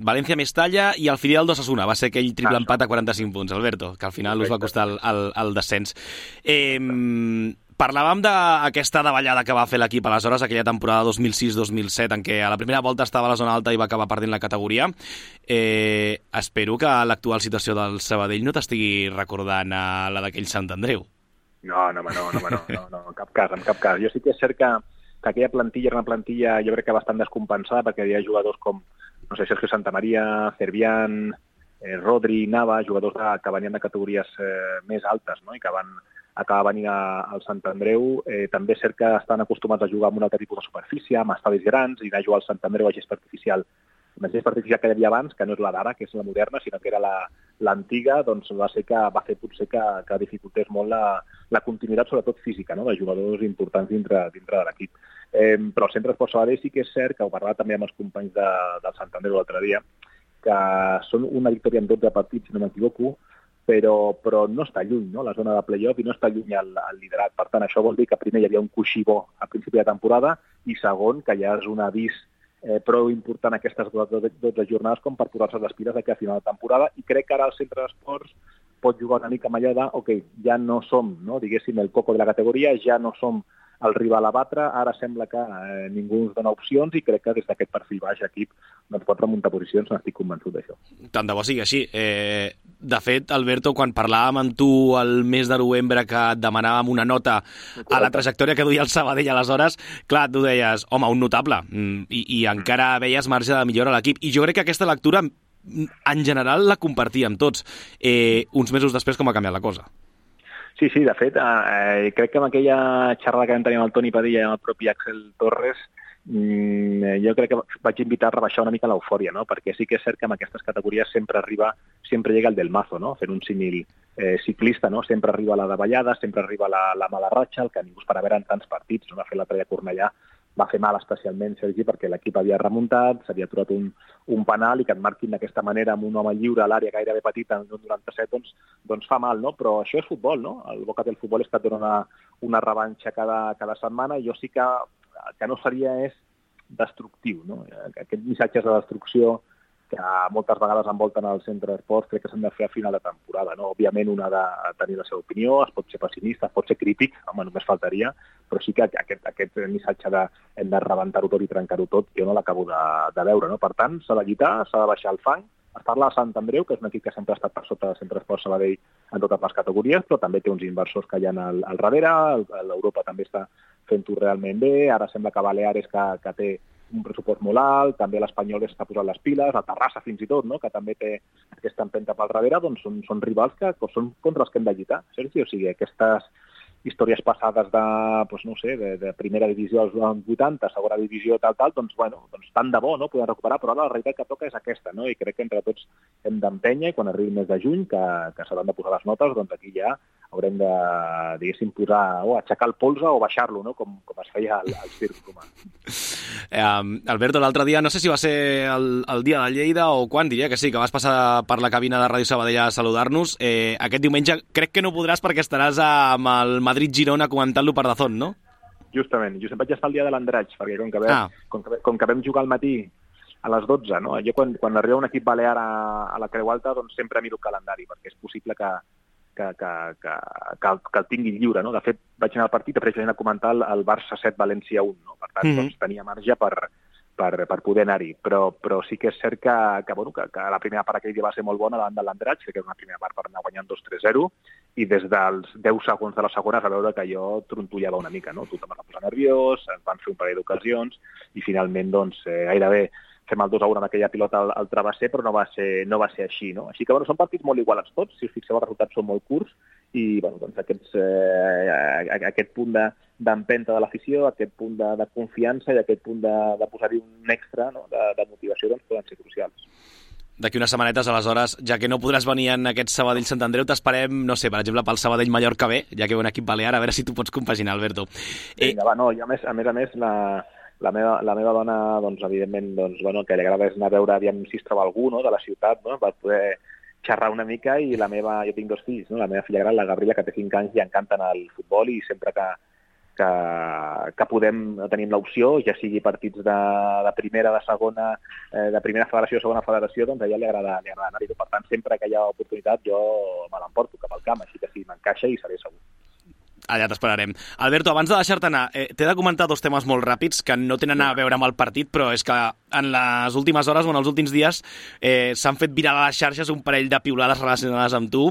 València Mestalla i el filial d'Osasuna va ser aquell triple empat a 45 punts, Alberto, que al final us va costar el descens. Parlàvem d'aquesta davallada que va fer l'equip aleshores, aquella temporada 2006-2007, en què a la primera volta estava a la zona alta i va acabar perdent la categoria. Espero que l'actual situació del Sabadell no t'estigui recordant a la d'aquell Sant Andreu. No, en cap cas. Jo sí que és cert que aquella plantilla era una plantilla, jo crec que bastant descompensada, perquè hi havia jugadors com, no sé, Sergio Santamaría, Cervián, Rodri, Nava, jugadors que venien de categories més altes, no? I que van acabar venint al Sant Andreu. També és cert que estan acostumats a jugar amb un altre tipus de superfície, amb estadis grans, i anar a jugar al Sant Andreu a gest artificial. La gest artificial que hi havia abans, que no és la d'ara, que és la moderna, sinó que era l'antiga, doncs va fer potser que dificultés molt la continuïtat, sobretot física, no?, de jugadors importants dintre de l'equip. Però el Centre Esport Sabadell sí que és cert, que ho parlava també amb els companys del Sant Andreu l'altre dia, que són una victòria en 12 partits, si no m'equivoco, però no està lluny, no?, la zona de play-off, i no està lluny el liderat. Per tant, això vol dir que primer hi havia un coixí bo a principi de temporada i segon, que ja és un avís prou important aquestes 12 jornades com per posar-se les piles d'aquí a final de temporada, i crec que ara el Centre d'Esports pot jugar una mica amb allò de, ok, ja no som, no, diguéssim, el coco de la categoria, ja no som el rival a batre, ara sembla que ningú ens dona opcions, i crec que des d'aquest perfil baix l'equip doncs pot remuntar posicions, n'estic convençut d'això. Tant de bo sigui així. De fet, Alberto, quan parlàvem amb tu el mes de novembre que et demanàvem una nota a la trajectòria que duia el Sabadell aleshores, clar, tu deies, home, un notable, i encara veies marge de millora a l'equip. I jo crec que aquesta lectura, en general, la compartíem tots. Uns mesos després, com ha canviat la cosa? Sí, de fet, crec que amb aquella xerrada que vam tenir amb el Toni Padilla i amb el propi Axel Torres, jo crec que vaig invitar a rebaixar una mica l'eufòria, no? Perquè sí que és cert que en aquestes categories sempre llega el del mazo, no? Fent un símil ciclista, no? Sempre arriba la davallada, sempre arriba la mala ratxa, el que ningú espera veure en tants partits, no? Va fer l'altre dia a Cornellà, va fer mal especialment, Sergi, perquè l'equip havia remuntat, s'havia aturat un penal, i que et marquin d'aquesta manera amb un home lliure a l'àrea gairebé petita en un 97, doncs fa mal, no? Però això és futbol, no? El Boca del futbol és que et dona una revanxa cada setmana, i jo sí que no seria és destructiu, no? Aquests missatges de destrucció que moltes vegades envolten el Centre d'Esports crec que s'han de fer a final de temporada, no? Òbviament un ha de tenir la seva opinió, es pot ser pessimista, es pot ser crític, home, només faltaria, però sí que aquest missatge de hem de rebentar-ho tot i trencar-ho tot, jo no l'acabo de veure, no? Per tant, s'ha de lluitar, s'ha de baixar el fang, Es parla de Sant Andreu, que és un equip que sempre ha estat per sota de Centre Esport Sabadell en totes les categories, però també té uns inversors que hi ha al darrere, l'Europa també està fent-ho realment bé, ara sembla que Baleares que té un pressupost molt alt, també l'Espanyol està posant les piles, la Terrassa fins i tot, no? Que també té aquesta empenta pel darrere, doncs són rivals que són contra els que hem de lluitar, Sergi. O sigui, aquestes històries passades de primera divisió als 80, segona divisió, tal, doncs tant de bo, no? Podem recuperar, però ara la realitat que toca és aquesta, no? I crec que entre tots hem d'empènyer i quan arribi el mes de juny, que s'hauran de posar les notes, doncs aquí ja haurem de, diguéssim, posar o aixecar el polze o baixar-lo, no? Com es feia al circ romà. Alberto, l'altre dia, no sé si va ser el dia de Lleida o quan, diria que sí, que vas passar per la cabina de Ràdio Sabadell a saludar-nos. Aquest diumenge crec que no podràs perquè estaràs amb el Madrid-Girona comentant-lo per Dazón, no? Justament vaig estar el dia de l'Andratx, perquè com que vam jugar al matí a les 12, no? Jo quan arriba un equip balear a la Creu Alta, doncs sempre miro el calendari, perquè és possible que el tingui lliure, no? De fet, vaig anar al partit, després vaig anar a comentar el Barça 7, València 1, no? Per tant, doncs, tenia marge per poder anar-hi, però sí que és cert que la primera part aquell dia va ser molt bona davant de l'Andratx, que era una primera part per anar guanyant 2-3-0, i des dels 10 segons de la segona es va veure que jo trontollava una mica, no? Tothom es va posar nerviós, ens van fer un parell d'ocasions, i finalment, doncs, gairebé fem el 2-1 amb aquella pilota al travesser, però no va ser així, no? Així que, són partits molt igualats tots, si us fixeu, els resultats són molt curts, i, doncs, aquest punt d'empenta de l'afició, aquest punt de confiança i aquest punt de posar-hi un extra, no? de motivació, doncs, poden ser crucials. D'aquí unes setmanetes, aleshores, ja que no podràs venir en aquest Sabadell-Sant Andreu, t'esperem, no sé, per exemple, pel Sabadell-Mallorca B, ja que ve un equip balear, a veure si tu pots compaginar, Alberto. Vinga, va, no, i a més, la meva dona, doncs, evidentment, el que li agrada és anar a veure aviam si es troba algú, no?, de la ciutat, no?, per poder xerrar una mica, i jo tinc 2 fills, no?, la meva filla gran, la Gabriela, que té 5 anys, li encanten el futbol, i sempre que tenim l'opció, ja sigui partits de primera, de segona, de primera federació, segona federació, doncs a ella li agrada anar-hi. Per tant, sempre que hi ha oportunitat jo me l'emporto cap al camp, així que si m'encaixa hi seré segur. Allà t'esperarem. Alberto, abans de deixar-te anar, t'he de comentar 2 temes molt ràpids que no tenen a veure amb el partit, però és que en les últimes hores o en els últims dies s'han fet viral a les xarxes un parell de piulades relacionades amb tu.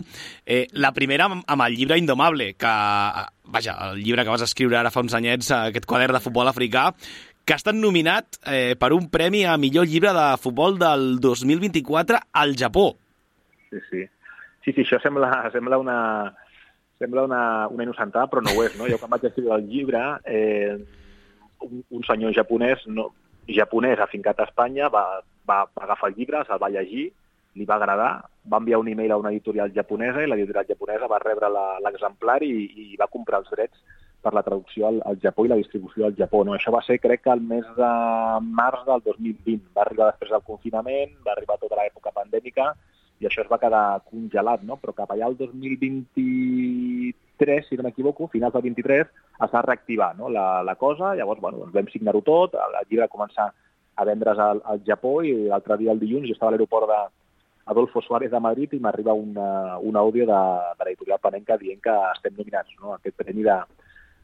La primera amb el llibre Indomable, el llibre que vas escriure ara fa uns anyets, aquest quadern de futbol africà, que ha estat nominat per un premi a millor llibre de futbol del 2024 al Japó. Sí, això sembla una innocentada, però no ho és, no? Jo quan vaig escriure el llibre, un senyor japonès afincat a Espanya va agafar el llibre, se'l va llegir, li va agradar, va enviar un e-mail a una editorial japonesa i l'editorial japonesa va rebre l'exemplar i va comprar els drets per la traducció al Japó i la distribució al Japó, no? Això va ser, crec que el mes de març del 2020. Va arribar després del confinament, va arribar tota l'època pandèmica, i això es va quedar congelat, no? Però cap allà el 2023, si no m'equivoco, finals del 23, es va reactivar, no? la cosa. Llavors, doncs vam signar-ho tot, el llibre va començar a vendre's al Japó, i l'altre dia, el dilluns, jo estava a l'aeroport d'Adolfo Suárez de Madrid i m'arriba un àudio de l'editorial Panenka dient que estem nominats, no? Aquest premi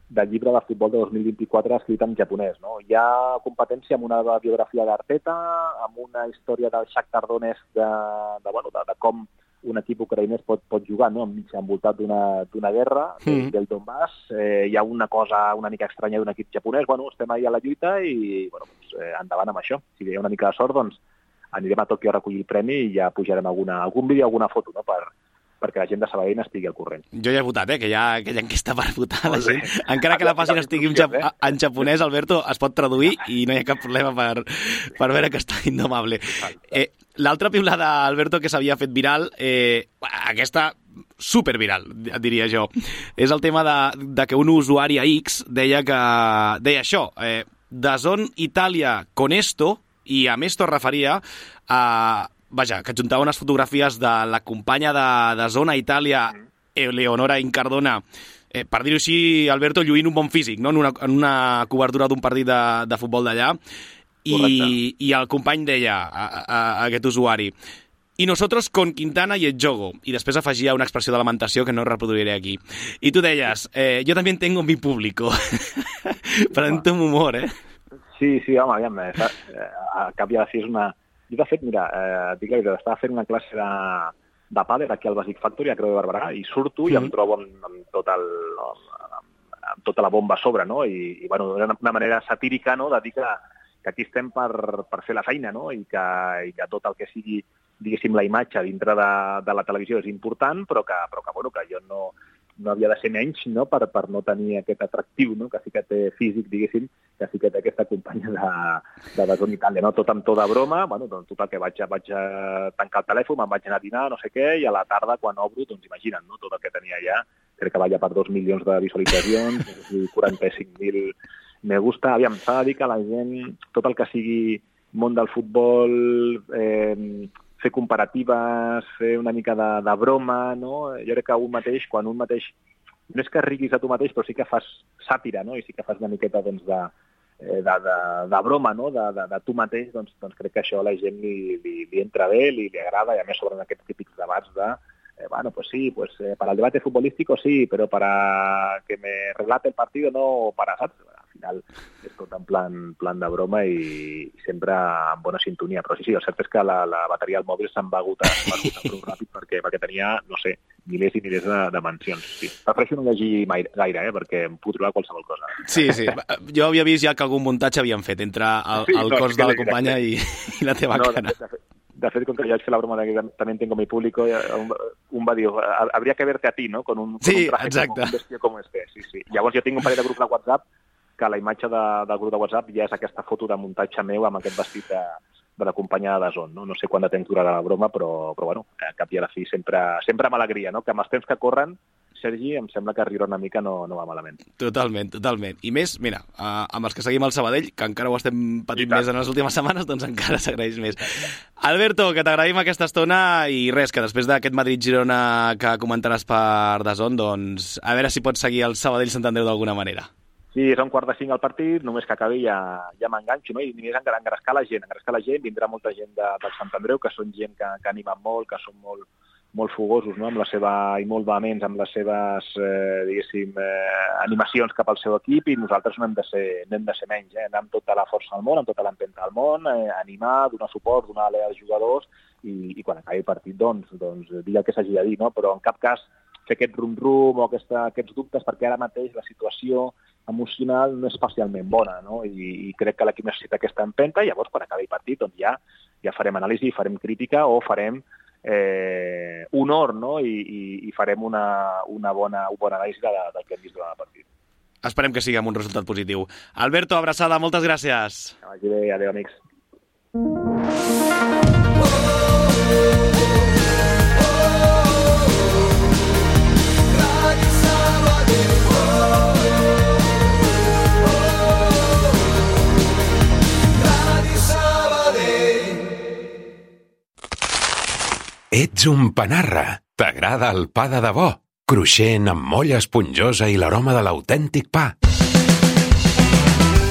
del llibre de futbol de 2024 escrit en japonès, no? Hi ha competència amb una biografia d'Arteta, amb una història del Shakhtar Donetsk de com un equip ucraïnès pot jugar, no?, envoltat d'una guerra, del Donbass. Hi ha una cosa una mica estranya d'un equip japonès. Estem ahí a la lluita i endavant amb això. Si hi ha una mica de sort, doncs anirem a Tòquio a recollir el premi i ja pujarem algun vídeo, alguna foto, no?, perquè la gent de Sabadell n'estigui al corrent. Jo ja he votat, que hi ha aquella enquesta per votar la gent. Encara que la pàgina estigui en japonès, Alberto, es pot traduir i no hi ha cap problema per veure que està Indomable. L'altra piulada, Alberto, que s'havia fet viral, aquesta superviral, diria jo, és el tema de que un usuari a X deia això, DAZN Italia con esto, i amb esto es referia a... que adjuntava unes fotografies de la companya de Zona Itàlia, Eleonora Incardona, per dir-ho així, Alberto, lluint un bon físic, no?, en una cobertura d'un partit de futbol d'allà, i el company deia, a aquest usuari, i nosotros con Quintana y el Jogo, i després afegia una expressió de lamentació que no reproduiré aquí. I tu deies, yo también tengo mi público. Prenent un humor, Sí, home, aviam, a cap i a la fi és Jo, de fet, mira, dic la veritat, estava fent una classe de pàdel aquí al Basic Factory, a Creu de Barberà, i surto i em trobo amb tota la bomba a sobre, no? I bueno, era una manera satírica, no?, de dir que aquí estem per fer la feina, no?, i que tot el que sigui, diguéssim, la imatge dintre de la televisió és important, però que jo no havia de ser menys, no?, per no tenir aquest atractiu, no?, que sí que té físic, diguéssim, que sí que té aquesta companya de DAZN Itàlia, no?, tot amb tot de broma, bueno, doncs total que vaig tancar el telèfon, me'n vaig anar a dinar, no sé què, i a la tarda, quan obro, doncs imagina't, no?, tot el que tenia allà, crec que va ja per 2 milions de visualitzacions, 45.000 me gusta. Aviam, s'ha de dir que la gent, tot el que sigui món del futbol, fer comparatives, fer una mica de broma, no? Jo crec que quan un mateix, no és que riguis a tu mateix, però sí que fas sàtira, no? I sí que fas una miqueta doncs, de broma, no? De tu mateix, doncs crec que això a la gent li entra bé, li agrada, i a més sobre aquests típics debats bueno, pues sí, pues para el debate futbolístico sí, pero para que me relate el partido no, saps? Al final és tot en plan de broma i sempre en bona sintonia. Però sí, el cert és que la bateria del mòbil se'n va agotar prou ràpid perquè tenia, no sé, milers i milers de mencions. Sí. Prefereixo no llegir gaire, perquè em puc trobar qualsevol cosa. Sí. Jo havia vist ja que algun muntatge havien fet entre el cos de la companya i la teva cara. De fet, com que jo vaig fer la broma de que también tengo mi público, un va dir, habría que verte a ti, ¿no? Con un traje como un vestido como este. Sí. Llavors jo tinc un parell de grups de WhatsApp que la imatge del grup de WhatsApp ja és aquesta foto de muntatge meu amb aquest vestit de la companya de DAZN, no? No sé quant de temps durarà la broma, però bueno, a cap i a la fi sempre amb alegria, no? Que amb els temps que corren, Sergi, em sembla que riure una mica no va malament. Totalment. I més, mira, amb els que seguim al Sabadell, que encara ho estem patint més en les últimes setmanes, doncs encara s'agraeix més. Alberto, que t'agraïm aquesta estona i res, que després d'aquest Madrid-Girona que comentaràs per DAZN, doncs a veure si pots seguir el Sabadell-Sant Andreu d'alguna manera. Sí, és a 4:45 el partit, només que acabi ja m'enganxo, no? I només engrescar la gent, vindrà molta gent del Sant Andreu, que són gent que animen molt, que són molt fogosos, no? Amb la seva, i molt vehements amb les seves, diguéssim, animacions cap al seu equip, i nosaltres no hem de ser menys, anar amb tota la força del món, amb tota l'empenta del món, animar, donar suport, donar alè als jugadors, i quan acabi el partit, doncs dir el que s'hagi de dir, no? Però en cap cas fer aquest rum-rum o aquests dubtes, perquè ara mateix la situació emocional no és especialment bona, no? I crec que l'equip necessita aquesta empenta, i llavors quan acabi el partit doncs ja farem anàlisi, farem crítica o farem honor, no? I farem una bona anàlisi del que hem vist durant el partit. Esperem que sigui amb un resultat positiu. Alberto, abraçada, moltes gràcies. Que vagi bé, adéu, amics. Ets un panarra. T'agrada el pa de debò? Cruixent, amb molla esponjosa i l'aroma de l'autèntic pa.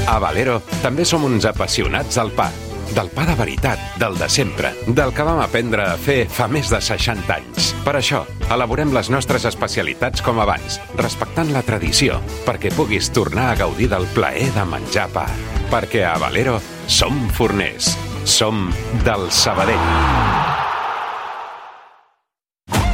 A Valero també som uns apassionats del pa. Del pa de veritat, del de sempre, del que vam aprendre a fer fa més de 60 anys. Per això, elaborem les nostres especialitats com abans, respectant la tradició, perquè puguis tornar a gaudir del plaer de menjar pa. Perquè a Valero som forners. Som del Sabadell.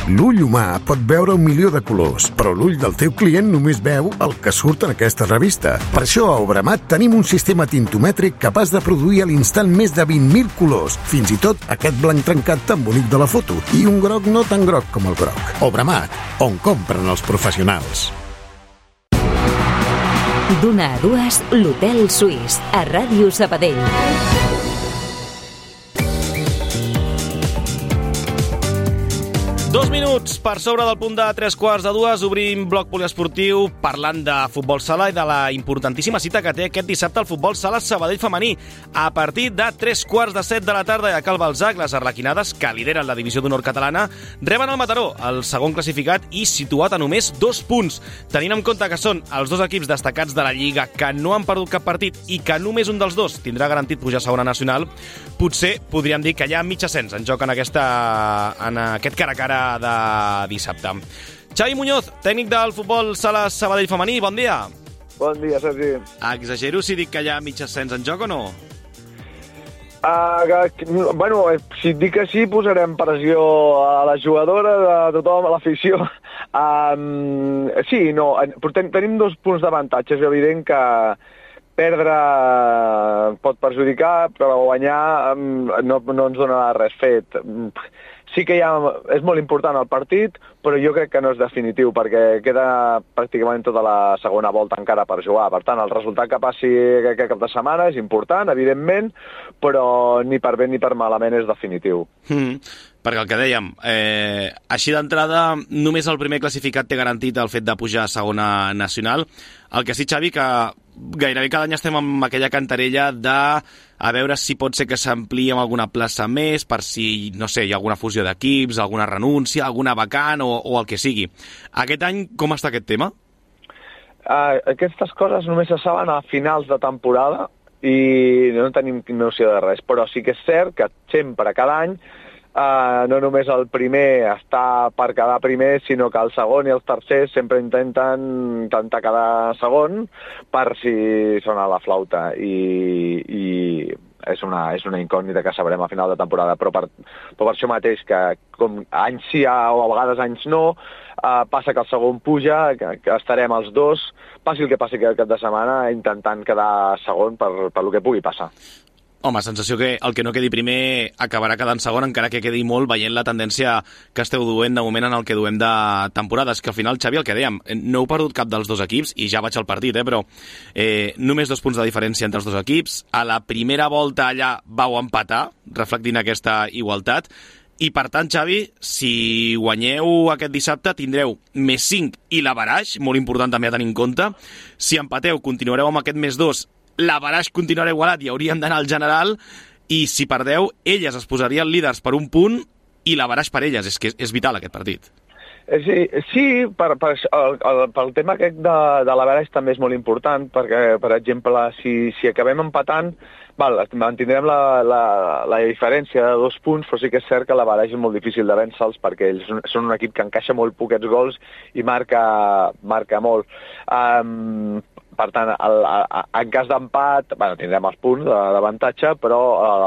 L'ull humà pot veure 1.000.000 de colors, però l'ull del teu client només veu el que surt en aquesta revista. Per això a Obramat tenim un sistema tintomètric capaç de produir a l'instant més de 20.000 colors, fins i tot aquest blanc trencat tan bonic de la foto, i un groc no tan groc com el groc. Obramat, on compren els professionals. D'una a dues, l'Hotel Suís, a Ràdio Sabadell. 2 minuts per sobre del punt de 3:45, obrim bloc poliesportiu parlant de futbol sala i de la importantíssima cita que té aquest dissabte el futbol sala Sabadell femení. A partir de 7:45 de la tarda i a Cal Balzac, les arlequinades, que lideren la divisió d'honor catalana, reben el Mataró, el segon classificat i situat a només 2 punts. Tenint en compte que són els dos equips destacats de la Lliga que no han perdut cap partit i que només un dels dos tindrà garantit pujar a segona nacional, potser podríem dir que hi ha mig ascens en joc en aquest cara a cara de dissabte. Xavi Muñoz, tècnic del futbol sala Sabadell femení, bon dia. Bon dia, Sergi. Exagero si dic que hi ha mig ascens en joc o no? Bueno, si et dic que sí, posarem pressió a la jugadora, a tothom, a l'afició. Sí, no, tenim 2 punts d'avantatge. És evident que perdre pot perjudicar, però guanyar no ens donarà res fet. Sí que és molt important el partit, però jo crec que no és definitiu, perquè queda pràcticament tota la segona volta encara per jugar. Per tant, el resultat que passi aquest cap de setmana és important, evidentment, però ni per bé ni per malament és definitiu. Perquè el que dèiem, així d'entrada, només el primer classificat té garantit el fet de pujar a segona nacional. El que sí, Xavi, que gairebé cada any estem amb aquella cantarella de a veure si pot ser que s'ampliï amb alguna plaça més, per si, no sé, hi ha alguna fusió d'equips, alguna renúncia, alguna vacant o el que sigui. Aquest any, com està aquest tema? Aquestes coses només se saben a finals de temporada i no tenim noció de res, però sí que és cert que sempre, cada any, no només el primer està per quedar primer, sinó que el segon i els tercers sempre intenten quedar segon per si sona la flauta i és una incògnita que sabrem a final de temporada, però per això mateix que com anys sí o a vegades anys no, passa que el segon puja, que estarem els 2, passi el que passi aquest cap de setmana, intentant quedar segon per el que pugui passar. Home, sensació que el que no quedi primer acabarà quedant segon, encara que quedi molt, veient la tendència que esteu duent de moment en el que duem de temporades, que al final, Xavi, el que dèiem, no heu perdut cap dels 2 equips, i ja vaig al partit, però només 2 punts de diferència entre els 2 equips. A la primera volta allà vau empatar, reflectint aquesta igualtat, i per tant, Xavi, si guanyeu aquest dissabte, tindreu més 5 i l'averaix, molt important també a tenir en compte. Si empateu, continuareu amb aquest més 2, l'averaix continuarà igualat i hauríem d'anar al general, i si perdeu, elles es posarien líders per 1 punt i l'averaix per elles. És que és vital aquest partit. Sí, pel tema aquest de l'averaix també és molt important, perquè, per exemple, si acabem empatant, mantindrem la diferència de 2 punts, però sí que és cert que l'averaix és molt difícil de vèncer-los perquè ells són un equip que encaixa molt poquets gols i marca molt. Per tant, en cas d'empat, tindrem els punts d'avantatge, però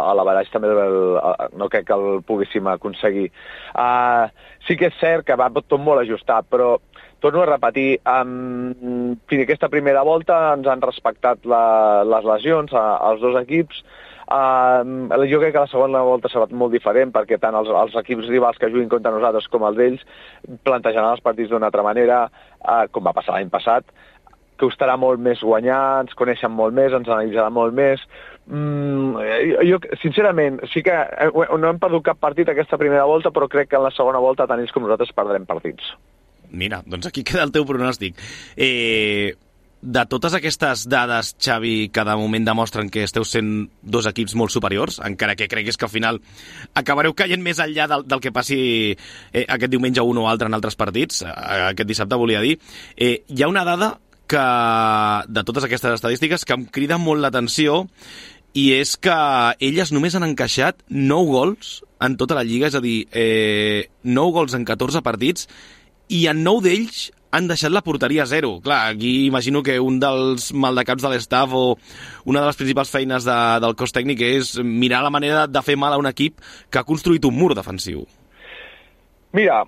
a l'averaix també no crec que el poguéssim aconseguir. Sí que és cert que va tot molt ajustat, però torno a repetir, fins a aquesta primera volta ens han respectat les lesions als 2 equips. Jo crec que la segona volta serà molt diferent, perquè tant els equips rivals que juguin contra nosaltres com els d'ells plantejaran els partits d'una altra manera, com va passar l'any passat. Costarà molt més guanyar, ens coneixen molt més, ens analitzaran molt més. Jo, sincerament, sí que no hem perdut cap partit aquesta primera volta, però crec que en la segona volta tant ells com nosaltres perdrem partits. Mira, doncs aquí queda el teu pronòstic. De totes aquestes dades, Xavi, que de moment demostren que esteu sent 2 equips molt superiors, encara que creguis que al final acabareu caient més enllà del que passi aquest diumenge un o altre en altres partits, aquest dissabte volia dir, hi ha una dada que, de totes aquestes estadístiques, que em crida molt l'atenció, i és que elles només han encaixat 9 gols en tota la Lliga, és a dir, 9 gols en 14 partits, i en 9 d'ells han deixat la porteria a 0. Clar, aquí imagino que un dels maldecaps de l'estaf o una de les principals feines del cos tècnic és mirar la manera de fer mal a un equip que ha construït un mur defensiu. Mira,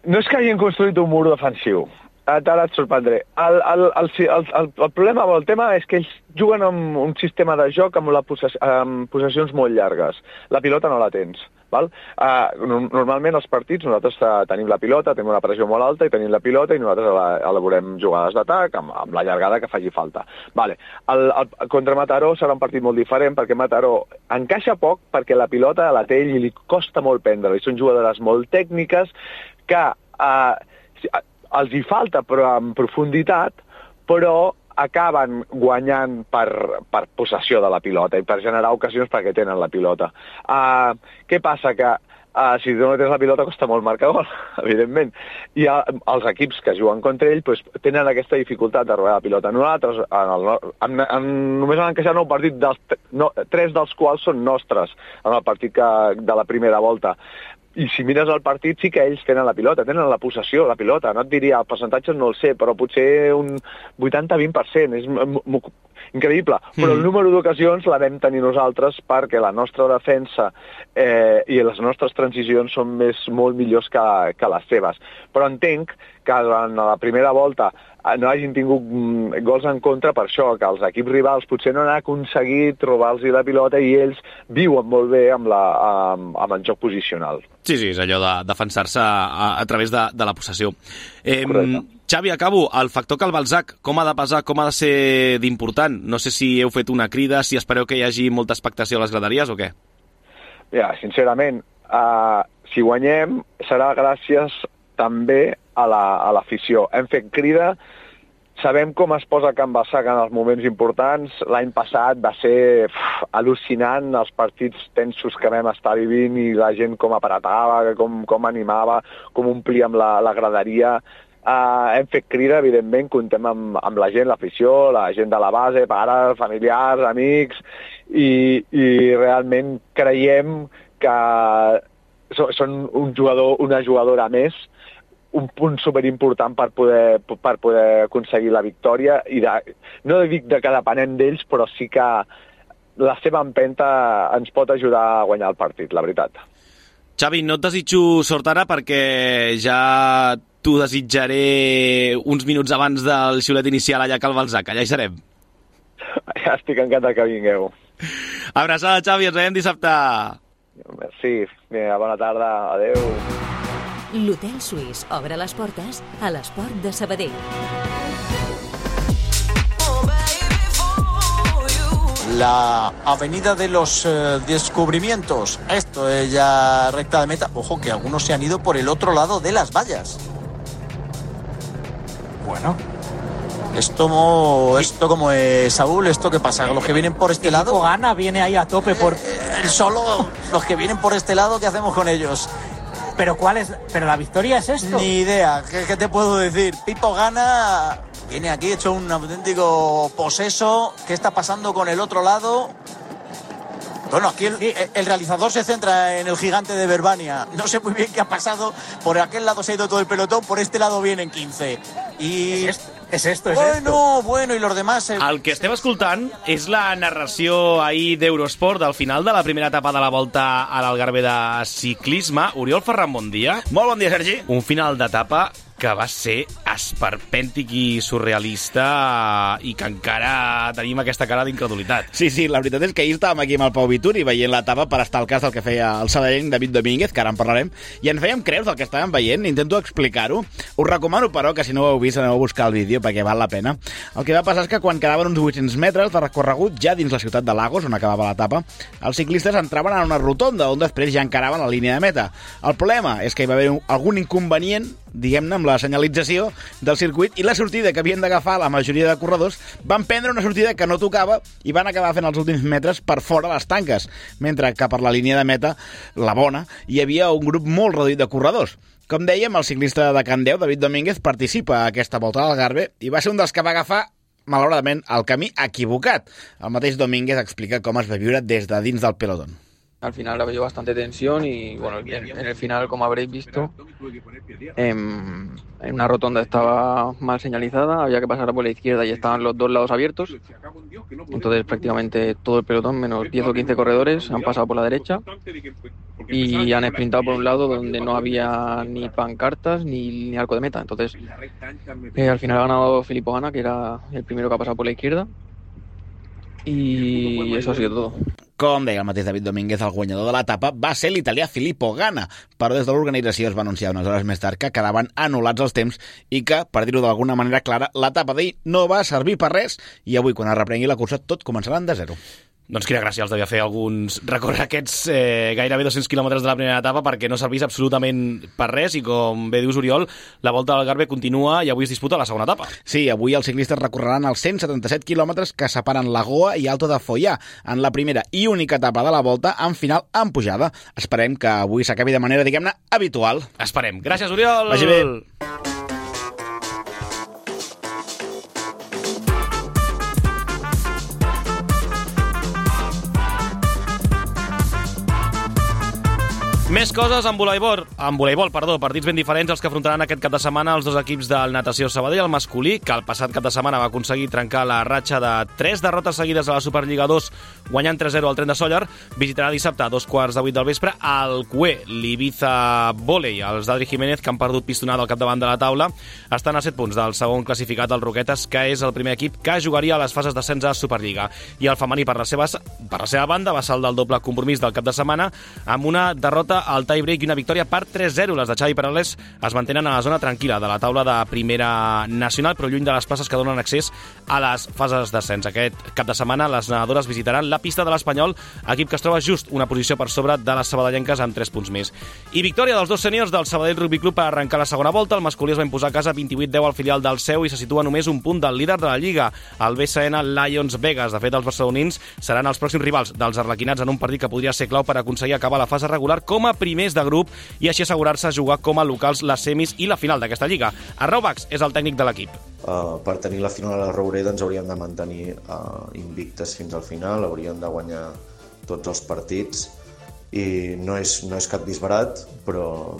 no és que hagin construït un mur defensiu. Ara et sorprendré. El problema amb el tema és que ells juguen amb un sistema de joc amb possessions molt llargues. La pilota no la tens. Normalment als partits nosaltres tenim la pilota, tenim una pressió molt alta i tenim la pilota i nosaltres elaborem jugades d'atac amb la llargada que faci falta. Contra Mataró serà un partit molt diferent perquè Mataró encaixa poc perquè la pilota la té ell i li costa molt prendre-la. Són jugadores molt tècniques que els hi falta però en profunditat, però acaben guanyant per possessió de la pilota i per generar ocasions perquè tenen la pilota. Què passa? Que si no tens la pilota costa molt marcar gol, evidentment. I els equips que juguen contra ell tenen aquesta dificultat de robar la pilota. Nosaltres només han encaixat 9 partits, 3 dels quals són nostres en el partit de la primera volta. I si mires el partit sí que ells tenen la pilota, tenen la possessió, la pilota. No et diria, el percentatge no el sé, però potser un 80-20%. increïble. Però el número d'ocasions la vam tenir nosaltres perquè la nostra defensa i les nostres transicions són molt millors que les seves. Però entenc que en la primera volta no hagin tingut gols en contra per això, que els equips rivals potser no han aconseguit trobar-los la pilota i ells viuen molt bé amb el joc posicional. Sí, és allò de defensar-se a través de la possessió. Xavi, acabo. El factor Calvalsac, com ha de pesar, com ha de ser d'important? No sé si heu fet una crida, si espereu que hi hagi molta expectació a les graderies o què? Ja, sincerament, si guanyem serà gràcies també a l'afició. Hem fet crida, sabem com es posa Can Bassag en els moments importants. L'any passat va ser al·lucinant els partits tensos que vam estar vivint i la gent com apretava, com animava, com omplíem la graderia. Hem fet crida, evidentment, contem amb la gent, l'afició, la gent de la base, pares, familiars, amics, i realment creiem que són una jugadora més, un punt superimportant per poder aconseguir la victòria, i no dic que depenem d'ells, però sí que la seva empenta ens pot ajudar a guanyar el partit, la veritat. Xavi, no et desitjo sort ara perquè ja t'ho desitjaré uns minuts abans del xiulet inicial allà a Calvalsac, allà hi serem. Ja estic encantat que vingueu. Abraçada, Xavi, ens veiem dissabte. Merci, bona tarda, adeu. L'Hotel Suís obre les portes a l'Esport de Sabadell. La avenida de los descubrimientos. Esto es ya recta de meta. Ojo que algunos se han ido por el otro lado de las vallas. Bueno. Esto como es, Saúl, ¿esto qué pasa? ¿Los que vienen por este lado? Gana viene ahí a tope por... Solo los que vienen por este lado, ¿qué hacemos con ellos? ¿Pero cuál es? ¿Pero la victoria es esto? Ni idea. ¿Qué te puedo decir? Pipo Gana viene aquí hecho un auténtico poseso. ¿Qué está pasando con el otro lado? Bueno, aquí el realizador se centra en el gigante de Verbania. No sé muy bien qué ha pasado. Por aquel lado se ha ido todo el pelotón, por este lado vienen 15. Y... És esto. Bueno, i los demás... El que estem escoltant és la narració ahir d'Eurosport del final de la primera etapa de la Volta a l'Algarve de ciclisme. Oriol Ferran, bon dia. Molt bon dia, Sergi. Un final d'etapa que va ser esperpèntic i surrealista i que encara tenim aquesta cara d'incredulitat. Sí, la veritat és que ahir estàvem aquí amb el Pau Vituri veient l'etapa per estar al cas del que feia el sabadellenc David Domínguez, que ara en parlarem, i ens fèiem creus del que estàvem veient. Intento explicar-ho. Us recomano, però, que si no ho heu vist aneu a buscar el vídeo perquè val la pena. El que va passar és que quan quedaven uns 800 metres de recorregut ja dins la ciutat de Lagos, on acabava l'etapa, els ciclistes entraven en una rotonda on després ja encaraven la línia de meta. El problema és que hi va haver algun inconvenient, diguem-ne, amb la senyalització del circuit, i la sortida que havien d'agafar la majoria de corredors van prendre una sortida que no tocava i van acabar fent els últims metres per fora les tanques, mentre que per la línia de meta, la bona, hi havia un grup molt reduït de corredors. Com dèiem, el ciclista de Candeu, David Domínguez, participa a aquesta Volta a l'Algarve i va ser un dels que va agafar, malauradament, el camí equivocat. El mateix Domínguez explica com es va viure des de dins del pelotón. Al final ha habido bastante tensión y bueno, en el final, como habréis visto, en una rotonda estaba mal señalizada, había que pasar por la izquierda y estaban los dos lados abiertos. Entonces prácticamente todo el pelotón, menos 10 o 15 corredores, han pasado por la derecha y han sprintado por un lado donde no había ni pancartas ni arco de meta. Entonces al final ha ganado Filippo Ganna, que era el primero que ha pasado por la izquierda, y eso ha sido todo. Com deia el mateix David Domínguez, el guanyador de l'etapa va ser l'italià Filippo Ganna, però des de l'organització es va anunciar unes hores més tard que quedaven anul·lats els temps i que, per dir-ho d'alguna manera clara, l'etapa d'ahir no va servir per res i avui, quan es reprengui la cursa, tot començarà de zero. Doncs quina gràcia els devia fer alguns recórrer aquests gairebé 200 quilòmetres de la primera etapa perquè no servís absolutament per res i, com bé dius, Oriol, la Volta a l'Algarve continua i avui es disputa la segona etapa. Sí, avui els ciclistes recorreran els 177 quilòmetres que separen Lagoa i Alto de Follà en la primera i única etapa de la Volta amb final en pujada. Esperem que avui s'acabi de manera, diguem-ne, habitual. Esperem. Gràcies, Oriol! Vagi bé! Més coses en voleibol, partits ben diferents els que afrontaran aquest cap de setmana els dos equips del Natació Sabadell, el masculí, que el passat cap de setmana va aconseguir trencar la ratxa de 3 derrotes seguides a la Superliga 2, guanyant 3-0 al Tren de Sóller, visitarà dissabte a 7:45 del vespre al CUE, l'Ibiza Volei. Els d'Adri Jiménez, que han perdut pistonada al capdavant de la taula, estan a 7 punts del segon classificat, el Roquetes, que és el primer equip que jugaria a les fases d'ascens a Superliga. I el femení, per la seva banda, va saldar el doble compromís del cap de setmana amb una derrota al tie-break i una victòria per 3-0. Les de Xavi Perales es mantenen a la zona tranquil·la de la taula de primera nacional, però lluny de les places que donen accés a les fases d'ascens. Aquest cap de setmana les nedadores visitaran la pista de l'Espanyol, equip que es troba just una posició per sobre de les sabadellenques amb 3 punts més. I victòria dels dos sèniors del Sabadell Rugby Club per arrencar la segona volta. El masculí es va imposar a casa 28-10 al filial del Seu i se situa només un punt del líder de la Lliga, el BCN Lions Vegas. De fet, els barcelonins seran els pròxims rivals dels arlequinats en un partit que podria ser clau per aconseguir acabar la fase regular com a primers de grup i així assegurar-se jugar com a locals les semis i la final d'aquesta lliga. Arnau Bax és el tècnic de l'equip. Per tenir la final a la Roureda ens hauríem de mantenir invictes fins al final, hauríem de guanyar tots els partits i no és cap disbarat, però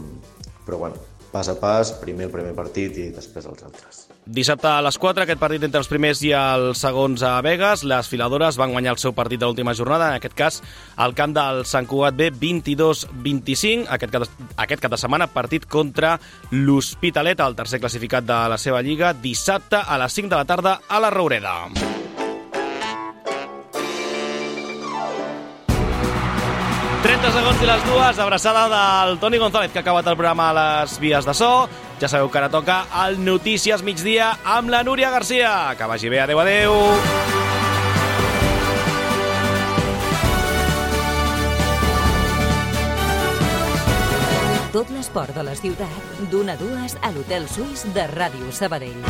bueno, pas a pas, primer el primer partit i després els altres. Dissabte a les 4, aquest partit entre els primers i els segons a Vegas. Les filadores van guanyar el seu partit de l'última jornada, en aquest cas al camp del Sant Cugat B 22-25. Aquest cap de setmana partit contra l'Hospitalet, el tercer classificat de la seva lliga, dissabte a les 5 de la tarda a la Roureda. Segons i les dues, abraçada del Toni González, que ha acabat el programa a les vies de so. Ja sabeu que ara toca el Notícies Migdia amb la Núria Garcia. Que vagi bé, adeu, adeu. Tot l'esport de la ciutat, d'1 a 2 a l'Hotel Suís de Ràdio Sabadell.